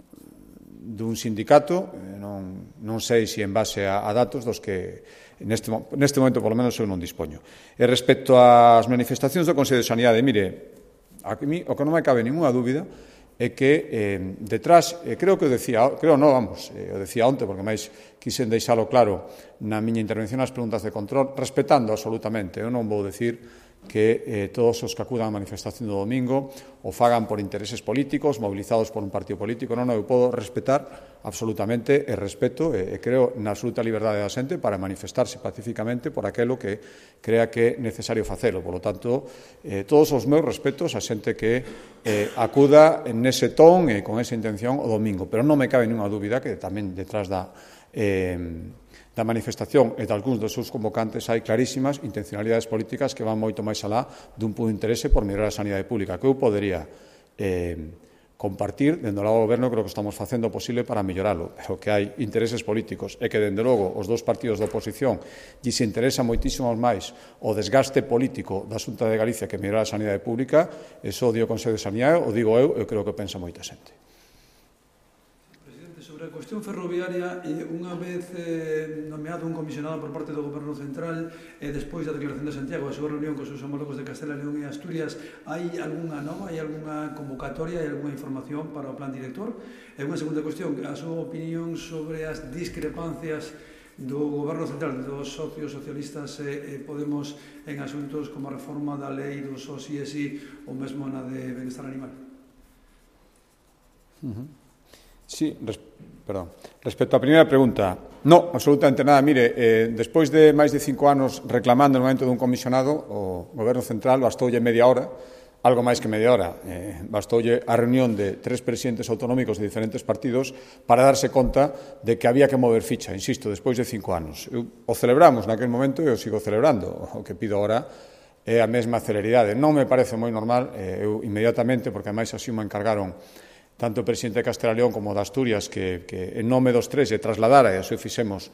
dun sindicato, non, non sei se en base a, a datos dos que neste, neste momento, polo menos, eu non dispoño. E respecto ás manifestacións do Consello de Sanidade, mire, a mí o que non me cabe ninguna dúbida é que eh, detrás, eh, creo que o decía, creo non, vamos, eh, o decía onte, porque máis quixen deixalo claro na miña intervención nas preguntas de control, respetando absolutamente, eu non vou decir que eh, todos os que acudan á manifestación do domingo o fagan por intereses políticos, movilizados por un partido político. Non, non, eu podo respetar absolutamente e respeto e, e creo na absoluta liberdade da xente para manifestarse pacíficamente por aquelo que crea que é necesario facelo. Por lo tanto, eh, todos os meus respetos a xente que eh, acuda en ese ton e con esa intención o domingo. Pero non me cabe ninguna dúbida que tamén detrás da... Eh, da manifestación e de algúns dos seus convocantes hai clarísimas intencionalidades políticas que van moito máis alá dun punto de interese por mellorar a sanidade pública, que eu podería eh, compartir. Dende o lado do Goberno creo que estamos facendo o posible para melloralo, pero que hai intereses políticos e que, dende logo, os dous partidos da oposición lle se interesa moitísimo máis o desgaste político da Xunta de Galicia que mellorar a sanidade pública. Eso o digo o Consello de Sanidade, o digo eu, eu creo que pensa moita xente. Presidente, sobre sobre a cuestión ferroviaria, unha vez eh, nomeado un comisionado por parte do Goberno Central e eh, despois da declaración de Santiago, a súa reunión cos seus homólogos de Castela, León e Asturias, hai algunha nova, hai algunha convocatoria, hai algunha información para o plan director? E unha segunda cuestión, a súa opinión sobre as discrepancias do Goberno Central, dos socios socialistas e eh, Podemos en asuntos como a reforma da lei dos O S I E S I ou mesmo na de benestar animal. Uh-huh. Sí, res, perdón. Respecto á primeira pregunta, no, absolutamente nada. Mire, eh, despois de máis de cinco anos reclamando no momento dun comisionado, o Goberno Central bastoulle media hora, algo máis que media hora, eh, bastoulle a reunión de tres presidentes autonómicos de diferentes partidos para darse conta de que había que mover ficha, insisto, despois de cinco anos. Eu, o celebramos naquele momento e o sigo celebrando. O que pido agora é a mesma celeridade. Non me parece moi normal, eh, eu inmediatamente, porque ademais así me encargaron tanto o presidente de Castela e León como de Asturias, que, que en nome dos tres se trasladara, e así o fixemos,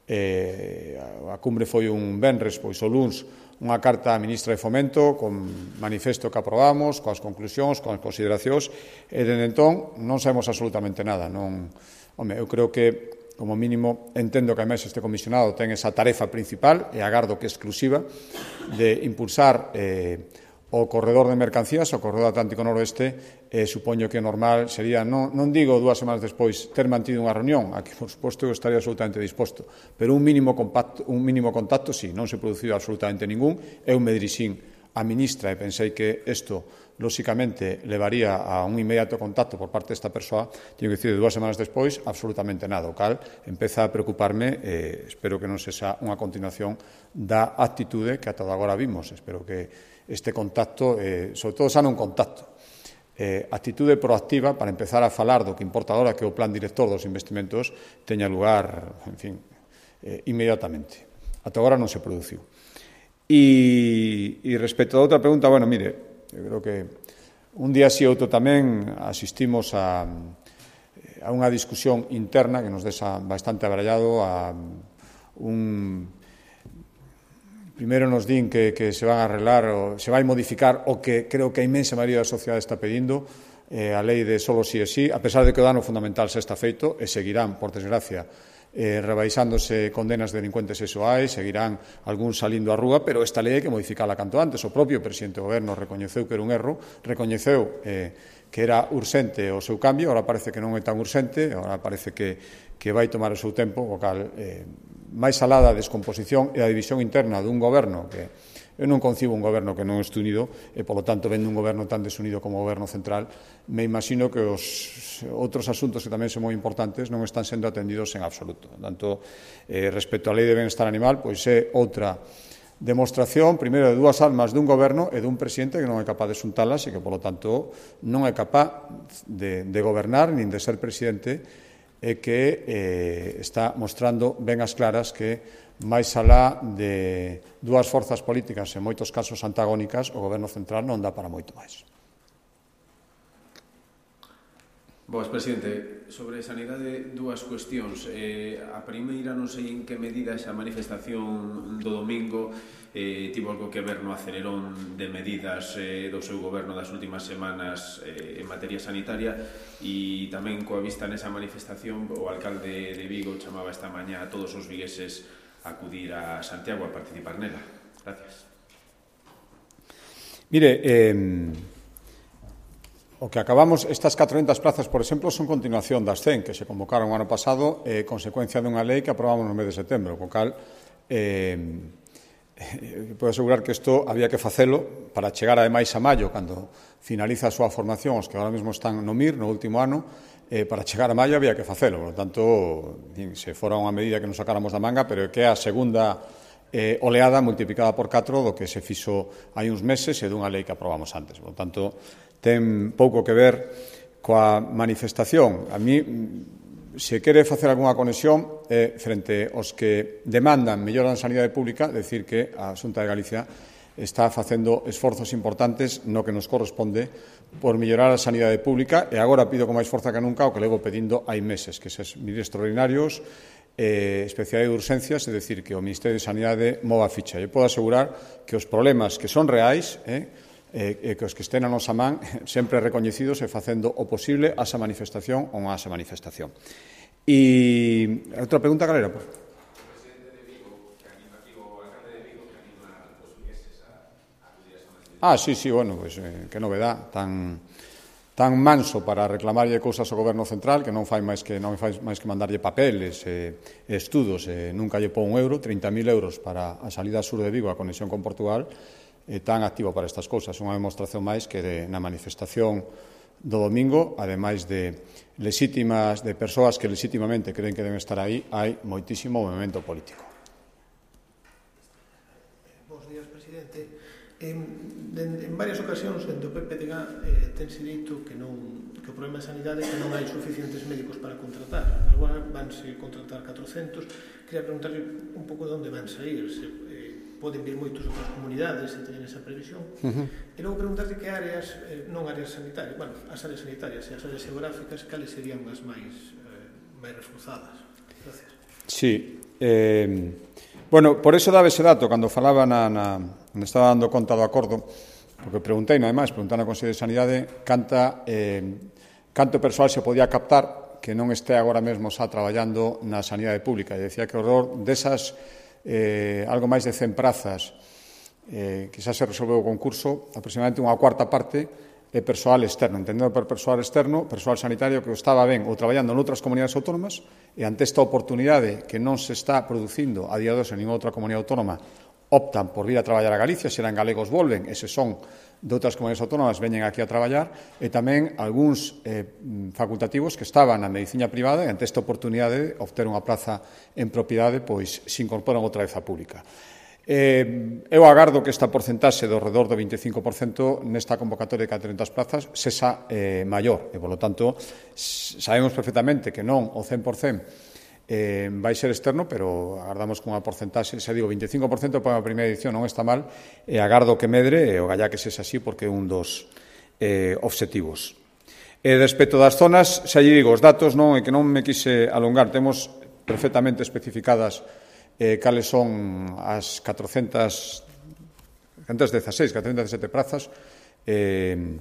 eh, a cumbre foi un venres, pois o luns, unha carta á ministra de Fomento con manifesto que aprobamos, coas conclusións, coas consideracións, e dende entón non sabemos absolutamente nada. Non, home, eu creo que, como mínimo, entendo que a mesa este comisionado ten esa tarefa principal, e agardo que exclusiva, de impulsar eh, o corredor de mercancías, o corredor Atlántico Noroeste, eh, supoño que normal sería, non, non digo dúas semanas despois, ter mantido unha reunión, aquí, por suposto, eu estaría absolutamente disposto, pero un mínimo, compacto, un mínimo contacto, sí, non se produciu absolutamente ningún. Eu me dirixín a ministra e pensei que isto, lóxicamente, levaría a un inmediato contacto por parte desta persoa. Teño que dicir, dúas semanas despois, absolutamente nada, o cal empeza a preocuparme, e espero que non sexa unha continuación da actitude que ata agora vimos. Espero que este contacto, eh, sobre todo, xa non contacto, eh, actitude proactiva para empezar a falar do que importa agora, que o plan director dos investimentos teña lugar, en fin, eh, inmediatamente. Ata agora non se produciu. E, e respecto a outra pregunta, bueno, mire, eu creo que un día si outro tamén asistimos a, a unha discusión interna que nos deixa bastante abarallado, a un... Primeiro nos din que, que se van a arreglar, ou se vai modificar o que creo que a inmensa maioría da sociedade está pedindo, eh, a lei de solo sí e sí, a pesar de que o dano fundamental se está feito, e seguirán, por desgracia, eh, rebaixándose condenas de delincuentes sexuais, seguirán algún salindo á rúa, pero esta lei hai que modificala canto antes. O propio presidente do Goberno recoñeceu que era un erro, recoñeceu eh, que era urxente o seu cambio, agora parece que non é tan urxente, agora parece que, que vai tomar o seu tempo, o cal... Eh, máis alá da descomposición e a división interna dun goberno que eu non concibo un goberno que non este unido e, polo tanto, vendo un goberno tan desunido como o goberno central, me imagino que os outros asuntos que tamén son moi importantes non están sendo atendidos en absoluto. Tanto, eh, respecto á lei de benestar animal, pois é outra demostración, primeiro, de dúas almas dun goberno e dun presidente que non é capaz de xuntalas e que, polo tanto, non é capaz de, de gobernar nin de ser presidente, e que eh, está mostrando ben as claras que, máis alá de dúas forzas políticas, en moitos casos antagónicas, o Goberno Central non dá para moito máis. Boas, presidente. Sobre sanidade, dúas cuestións. Eh, a primeira, non sei en que medida esa manifestación do domingo eh, tivo algo que ver no acelerón de medidas eh, do seu goberno das últimas semanas eh, en materia sanitaria, e tamén coa vista nesa manifestación o alcalde de Vigo chamaba esta mañá a todos os vigueses a acudir a Santiago a participar nela. Gracias. Mire, eh, o que acabamos, estas catrocentas plazas, por exemplo, son continuación das cen que se convocaron o ano pasado, eh, consecuencia dunha lei que aprobamos no mes de setembro, co cal eh, podo asegurar que isto había que facelo para chegar ademais a maio, cando finaliza a súa formación, os que agora mesmo están no M I R, no último ano, eh, para chegar a maio había que facelo. Por lo tanto, se fora unha medida que nos sacáramos da manga, pero que é a segunda eh, oleada multiplicada por catro do que se fixo hai uns meses e dunha lei que aprobamos antes. Por lo tanto, ten pouco que ver coa manifestación. A mí, se quere facer algunha conexión eh, frente aos que demandan mellora na sanidade pública, decir que a Xunta de Galicia está facendo esforzos importantes no que nos corresponde por mellorar a sanidade pública, e agora pido con máis forza que nunca o que levo pedindo hai meses, que se medidas extraordinarios, eh, especialidade de urxencias, é dicir, que o Ministerio de Sanidade mova a ficha. E podo asegurar que os problemas que son reais, eh, e que os que estén a nosa man sempre recoñecidos e facendo o posible a esa manifestación ou a esa manifestación. E outra pregunta, cal era? Ah, sí, sí, bueno, pues, eh, que novedad, tan tan manso para reclamarlle cousas ao Goberno Central que non fai máis que non fai máis que mandarlle papeles e eh, estudos, e eh, nunca lle pon un euro, trinta mil euros para a salida sur de Vigo a conexión con Portugal, e eh, tan activo para estas cousas. Unha demostración máis que de, na manifestación do domingo, ademais de legítimas, de persoas que legítimamente creen que deben estar aí, hai moitísimo movimento político. Bos días, presidente. En, en, en varias ocasións, dentro do P P D G eh, tense dito que, non, que o problema de sanidade é que non hai suficientes médicos para contratar. Agora vanse contratar catrocentos. Quería preguntarle un pouco de onde van sair, se eh, poden vir moitos outras comunidades se teñen esa previsión. Uh-huh. E logo preguntarle que áreas, eh, non áreas sanitarias, bueno, as áreas sanitarias e as áreas geográficas, cales serían as máis, eh, máis reforzadas. Gracias. Sí. Eh, bueno, por eso daba ese dato, cando falaba na... na me estaba dando conta do acordo, porque preguntei, non é máis, preguntei na Consello de Sanidade canta, eh, canto persoal se podía captar que non este agora mesmo xa traballando na sanidade pública. E decía que o horror desas eh, algo máis de cen prazas eh, que xa se resolveu o concurso, aproximadamente unha cuarta parte é persoal externo, entendendo por persoal externo, persoal sanitario que estaba ben ou traballando noutras comunidades autónomas, e ante esta oportunidade que non se está producindo a día de hoxe en ninguna outra comunidade autónoma, optan por vir a traballar a Galicia, se eran galegos volven, e se son de outras comunidades autónomas veñen aquí a traballar, e tamén algúns eh, facultativos que estaban na medicina privada e ante esta oportunidade de obter unha plaza en propiedade, pois se incorporan outra vez á pública. Eh, eu agardo que esta porcentaxe do redor do veinticinco por cento nesta convocatoria de catrocentas plazas sexa eh, maior, e, polo tanto, sabemos perfectamente que non o cen por cento Eh, vai ser externo, pero agardamos con unha porcentaxe, se digo veinticinco por cento para a primeira edición non está mal, e agardo que medre, e o gallá que sexa así, porque é un dos eh, obxectivos. E respecto das zonas, xa lle digo, os datos non, e que non me quise alongar, temos perfectamente especificadas eh, cales son as catrocentas dezaseis, catrocentas dezasete prazas, eh,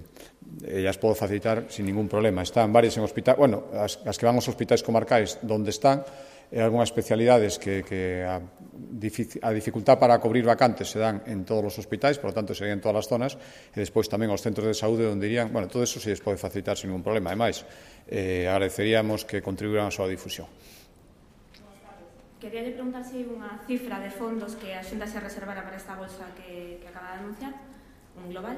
e as podo facilitar sin ningún problema. Están varias en hospital, bueno, as, as que van aos hospitais comarcais donde están, e algunhas especialidades que, que a, a dificultad para cubrir vacantes se dan en todos os hospitais, por lo tanto serían en todas as zonas, e despois tamén os centros de saúde onde irían, bueno, todo eso se les pode facilitar sin ningún problema. Ademais, eh, agradeceríamos que contribuiran a súa difusión. Quería preguntar se hai unha cifra de fondos que a Xunta se reservara para esta bolsa que, que acaba de anunciar, un global.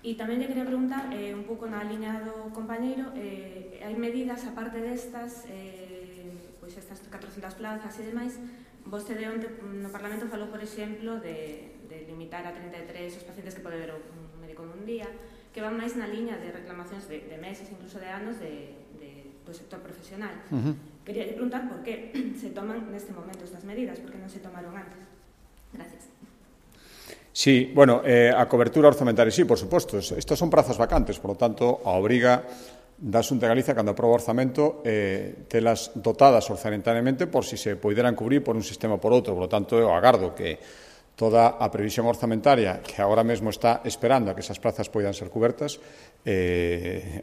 E tamén lle quería preguntar, eh, un pouco na liña do compañeiro, eh, hai medidas, aparte destas, eh, pois estas catrocentas plazas e demais, vostede onte no Parlamento falou, por exemplo, de, de limitar a trinta e tres os pacientes que pode ver un médico nun día, que van máis na liña de reclamacións de, de meses, incluso de anos, de, de, do sector profesional. Uh-huh. Quería preguntar por que se toman neste momento estas medidas, por que non se tomaron antes. Gracias. Sí, bueno, eh, a cobertura orzamentaria, sí, por suposto. Estas son prazas vacantes, por lo tanto, a obriga da Xunta de Galicia, cando aproba o orzamento, eh, telas dotadas orzamentariamente por si se poideran cubrir por un sistema ou por outro. Por lo tanto, eu agardo que toda a previsión orzamentaria que agora mesmo está esperando a que esas plazas poidan ser cubertas, eh,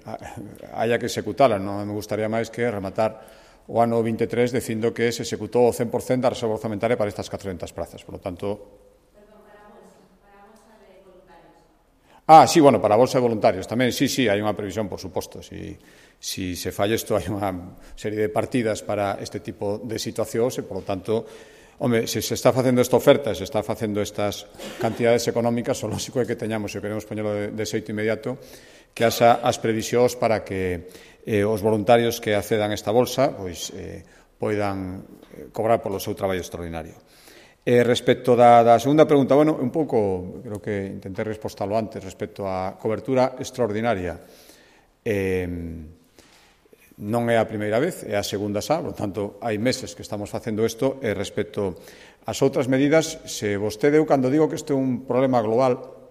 haya que executala. Non me gustaría máis que rematar o ano vinte e tres dicindo que se executou o cen por cento da reserva orzamentaria para estas catrocentas plazas. Por lo tanto, Ah, sí, bueno, para a bolsa de voluntarios tamén, sí, sí, hai unha previsión, por suposto. Si, si se falla isto, hai unha serie de partidas para este tipo de situacións e, por lo tanto, home, se se está facendo esta oferta, se está facendo estas cantidades económicas, o lógico é que teñamos, se queremos poñelo de, de xeito inmediato, que haxa as previsións para que eh, os voluntarios que accedan a esta bolsa pois, eh, poidan cobrar polo seu traballo extraordinario. Eh, respecto da, da segunda pregunta, bueno, un pouco, creo que intenté respostalo antes, respecto á cobertura extraordinaria. Eh, non é a primeira vez, é a segunda xa, por tanto, hai meses que estamos facendo isto, e respecto ás outras medidas, se vostede, eu cando digo que isto é un problema global,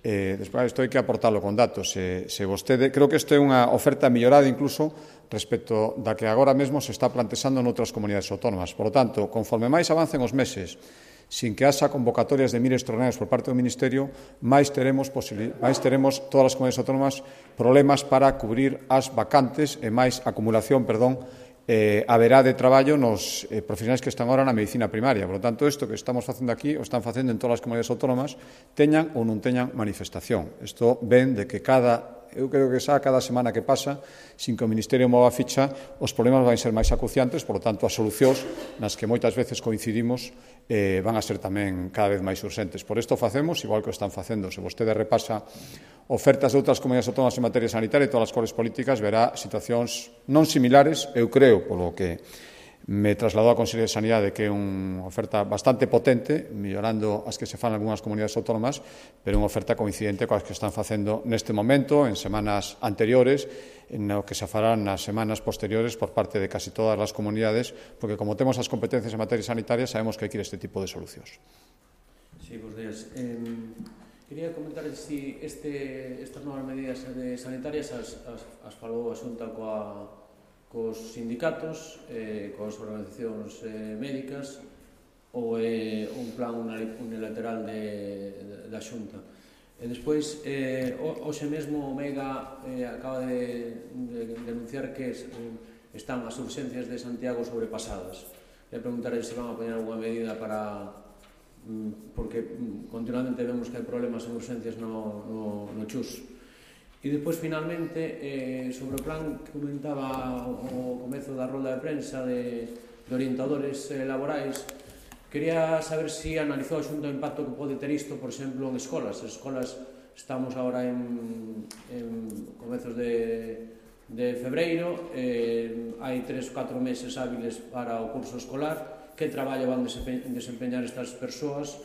eh, despois isto hai que aportalo con datos, se, se vostede, creo que isto é unha oferta millorada incluso respecto da que agora mesmo se está plantexando noutras comunidades autónomas. Por lo tanto, conforme máis avancen os meses, sin que haxa convocatorias de miles extraordinarios por parte do Ministerio, máis teremos, máis teremos todas as comunidades autónomas problemas para cubrir as vacantes e máis acumulación, perdón, eh, haberá de traballo nos eh, profesionais que están agora na medicina primaria. Por lo tanto, isto que estamos facendo aquí, o están facendo en todas as comunidades autónomas, teñan ou non teñan manifestación. Isto ven de que cada eu creo que xa cada semana que pasa, sin que o Ministerio mova a ficha, os problemas van ser máis acuciantes, por lo tanto, as solucións nas que moitas veces coincidimos eh, van a ser tamén cada vez máis urxentes. Por isto facemos, igual que o están facendo. Se vostede repasa ofertas de outras comunidades autónomas en materia sanitaria e todas as cores políticas, verá situacións non similares, eu creo, polo que me trasladou a Consellería de Sanidade, que é unha oferta bastante potente, mellorando as que se fan en algunhas comunidades autónomas, pero unha oferta coincidente coas que están facendo neste momento, en semanas anteriores, en o que se farán nas semanas posteriores por parte de casi todas as comunidades, porque como temos as competencias en materia sanitaria, sabemos que hai que ir a este tipo de solucións. Sí, bons días. Eh, quería comentar si este, estas novas medidas sanitarias as, as, as falou a Xunta coa cos sindicatos, eh, coas organizacións eh, médicas, ou é eh, un plan unilateral de, de, da Xunta. E despois, eh, hoxe mesmo o Mega eh, acaba de, de denunciar que es, eh, están as urxencias de Santiago sobrepasadas. Le preguntaré se van a poñer alguna medida para... porque continuamente vemos que hai problemas en urxencias no, no, no Chus. E despois, finalmente, eh, sobre o plan que comentaba o comezo da rolda de prensa de, de orientadores eh, laborais, quería saber se si analizou a Xunta o impacto que pode ter isto, por exemplo, en escolas. As escolas, estamos agora en, en comezos de, de febreiro, eh, hai tres ou catro meses hábiles para o curso escolar. Que traballo van desempeñar estas persoas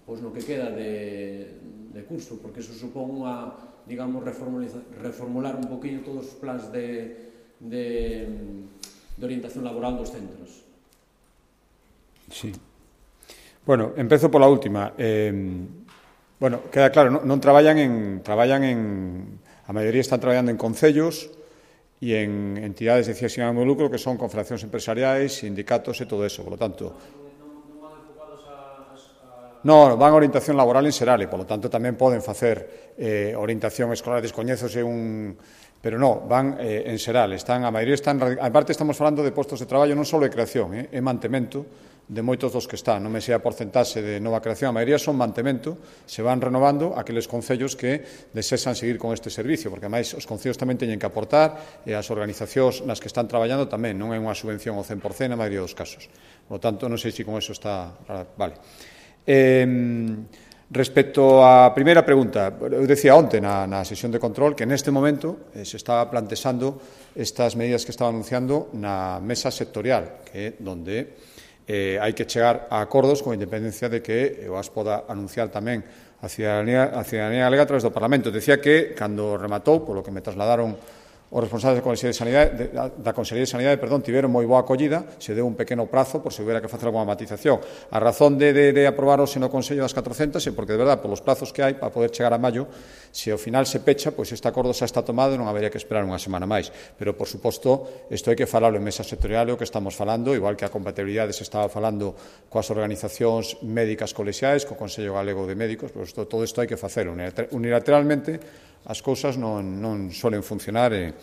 pois no que queda de, de curso? Porque eso supón unha... digamos, reformular un poquinho todos os plans de, de, de orientación laboral dos centros. Sí. Bueno, empezo pola última. Eh, bueno, queda claro, non, non traballan en... traballan en... a maioría están traballando en concellos e en entidades de sin ánimo de lucro que son confederacións empresariais, sindicatos e todo eso. Por lo tanto... No, van a orientación laboral en Serale, por lo tanto tamén poden facer eh, orientación escolar, descoñézose un... Pero no, van eh, en Serale, están, a maioría están... A parte estamos falando de postos de traballo non só de creación, eh, é mantemento de moitos dos que están, non me sei a porcentaxe de nova creación, a maioría son mantemento, se van renovando aqueles concellos que desexan seguir con este servicio, porque ademais os concellos tamén teñen que aportar e as organizacións nas que están traballando tamén, non é unha subvención ao cen por cen na maioría dos casos. Por lo tanto, non sei se con eso está... Vale. Eh, respecto á primeira pregunta, eu decía onte na, na sesión de control que neste momento eh, se estaba plantexando estas medidas que estaba anunciando na mesa sectorial, que é donde eh, hai que chegar a acordos con independencia de que eu as poda anunciar tamén a ciudadanía, a ciudadanía galega a través do Parlamento. Decía que, cando rematou, polo que me trasladaron os responsables da Consellería de Sanidade, da Consellería de Sanidade, perdón, tiveron moi boa acollida, se deu un pequeno prazo por se houbera que facer alguna matización. A razón de, de, de aprobaros no Consello das catrocentas é porque, de verdade, polos plazos que hai para poder chegar a maio, se ao final se pecha, pois este acordo xa está tomado e non habería que esperar unha semana máis. Pero, por suposto, isto hai que falalo en mesa sectorial, o que estamos falando, igual que a compatibilidade se estaba falando coas organizacións médicas colexiais, co Consello Galego de Médicos, pois todo isto hai que facelo unilateralmente. As cousas non, non solen funcionar e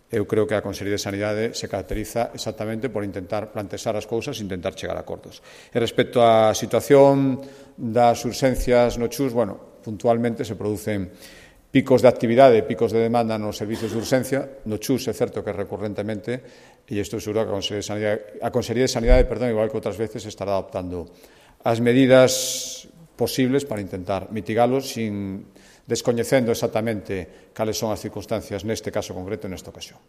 eu creo que a Consellería de Sanidade se caracteriza exactamente por intentar plantexar as cousas e intentar chegar a acordos. E respecto á situación das urxencias no Chus, bueno, puntualmente se producen picos de actividade, picos de demanda nos servicios de urxencia. No Chus é certo que recurrentemente, e isto seguro que a Consellería de Sanidade, a Consellería de Sanidade, perdón, igual que outras veces, estará adoptando as medidas posibles para intentar mitigalos sin descoñecendo exactamente cales son as circunstancias neste caso concreto e nesta ocasión.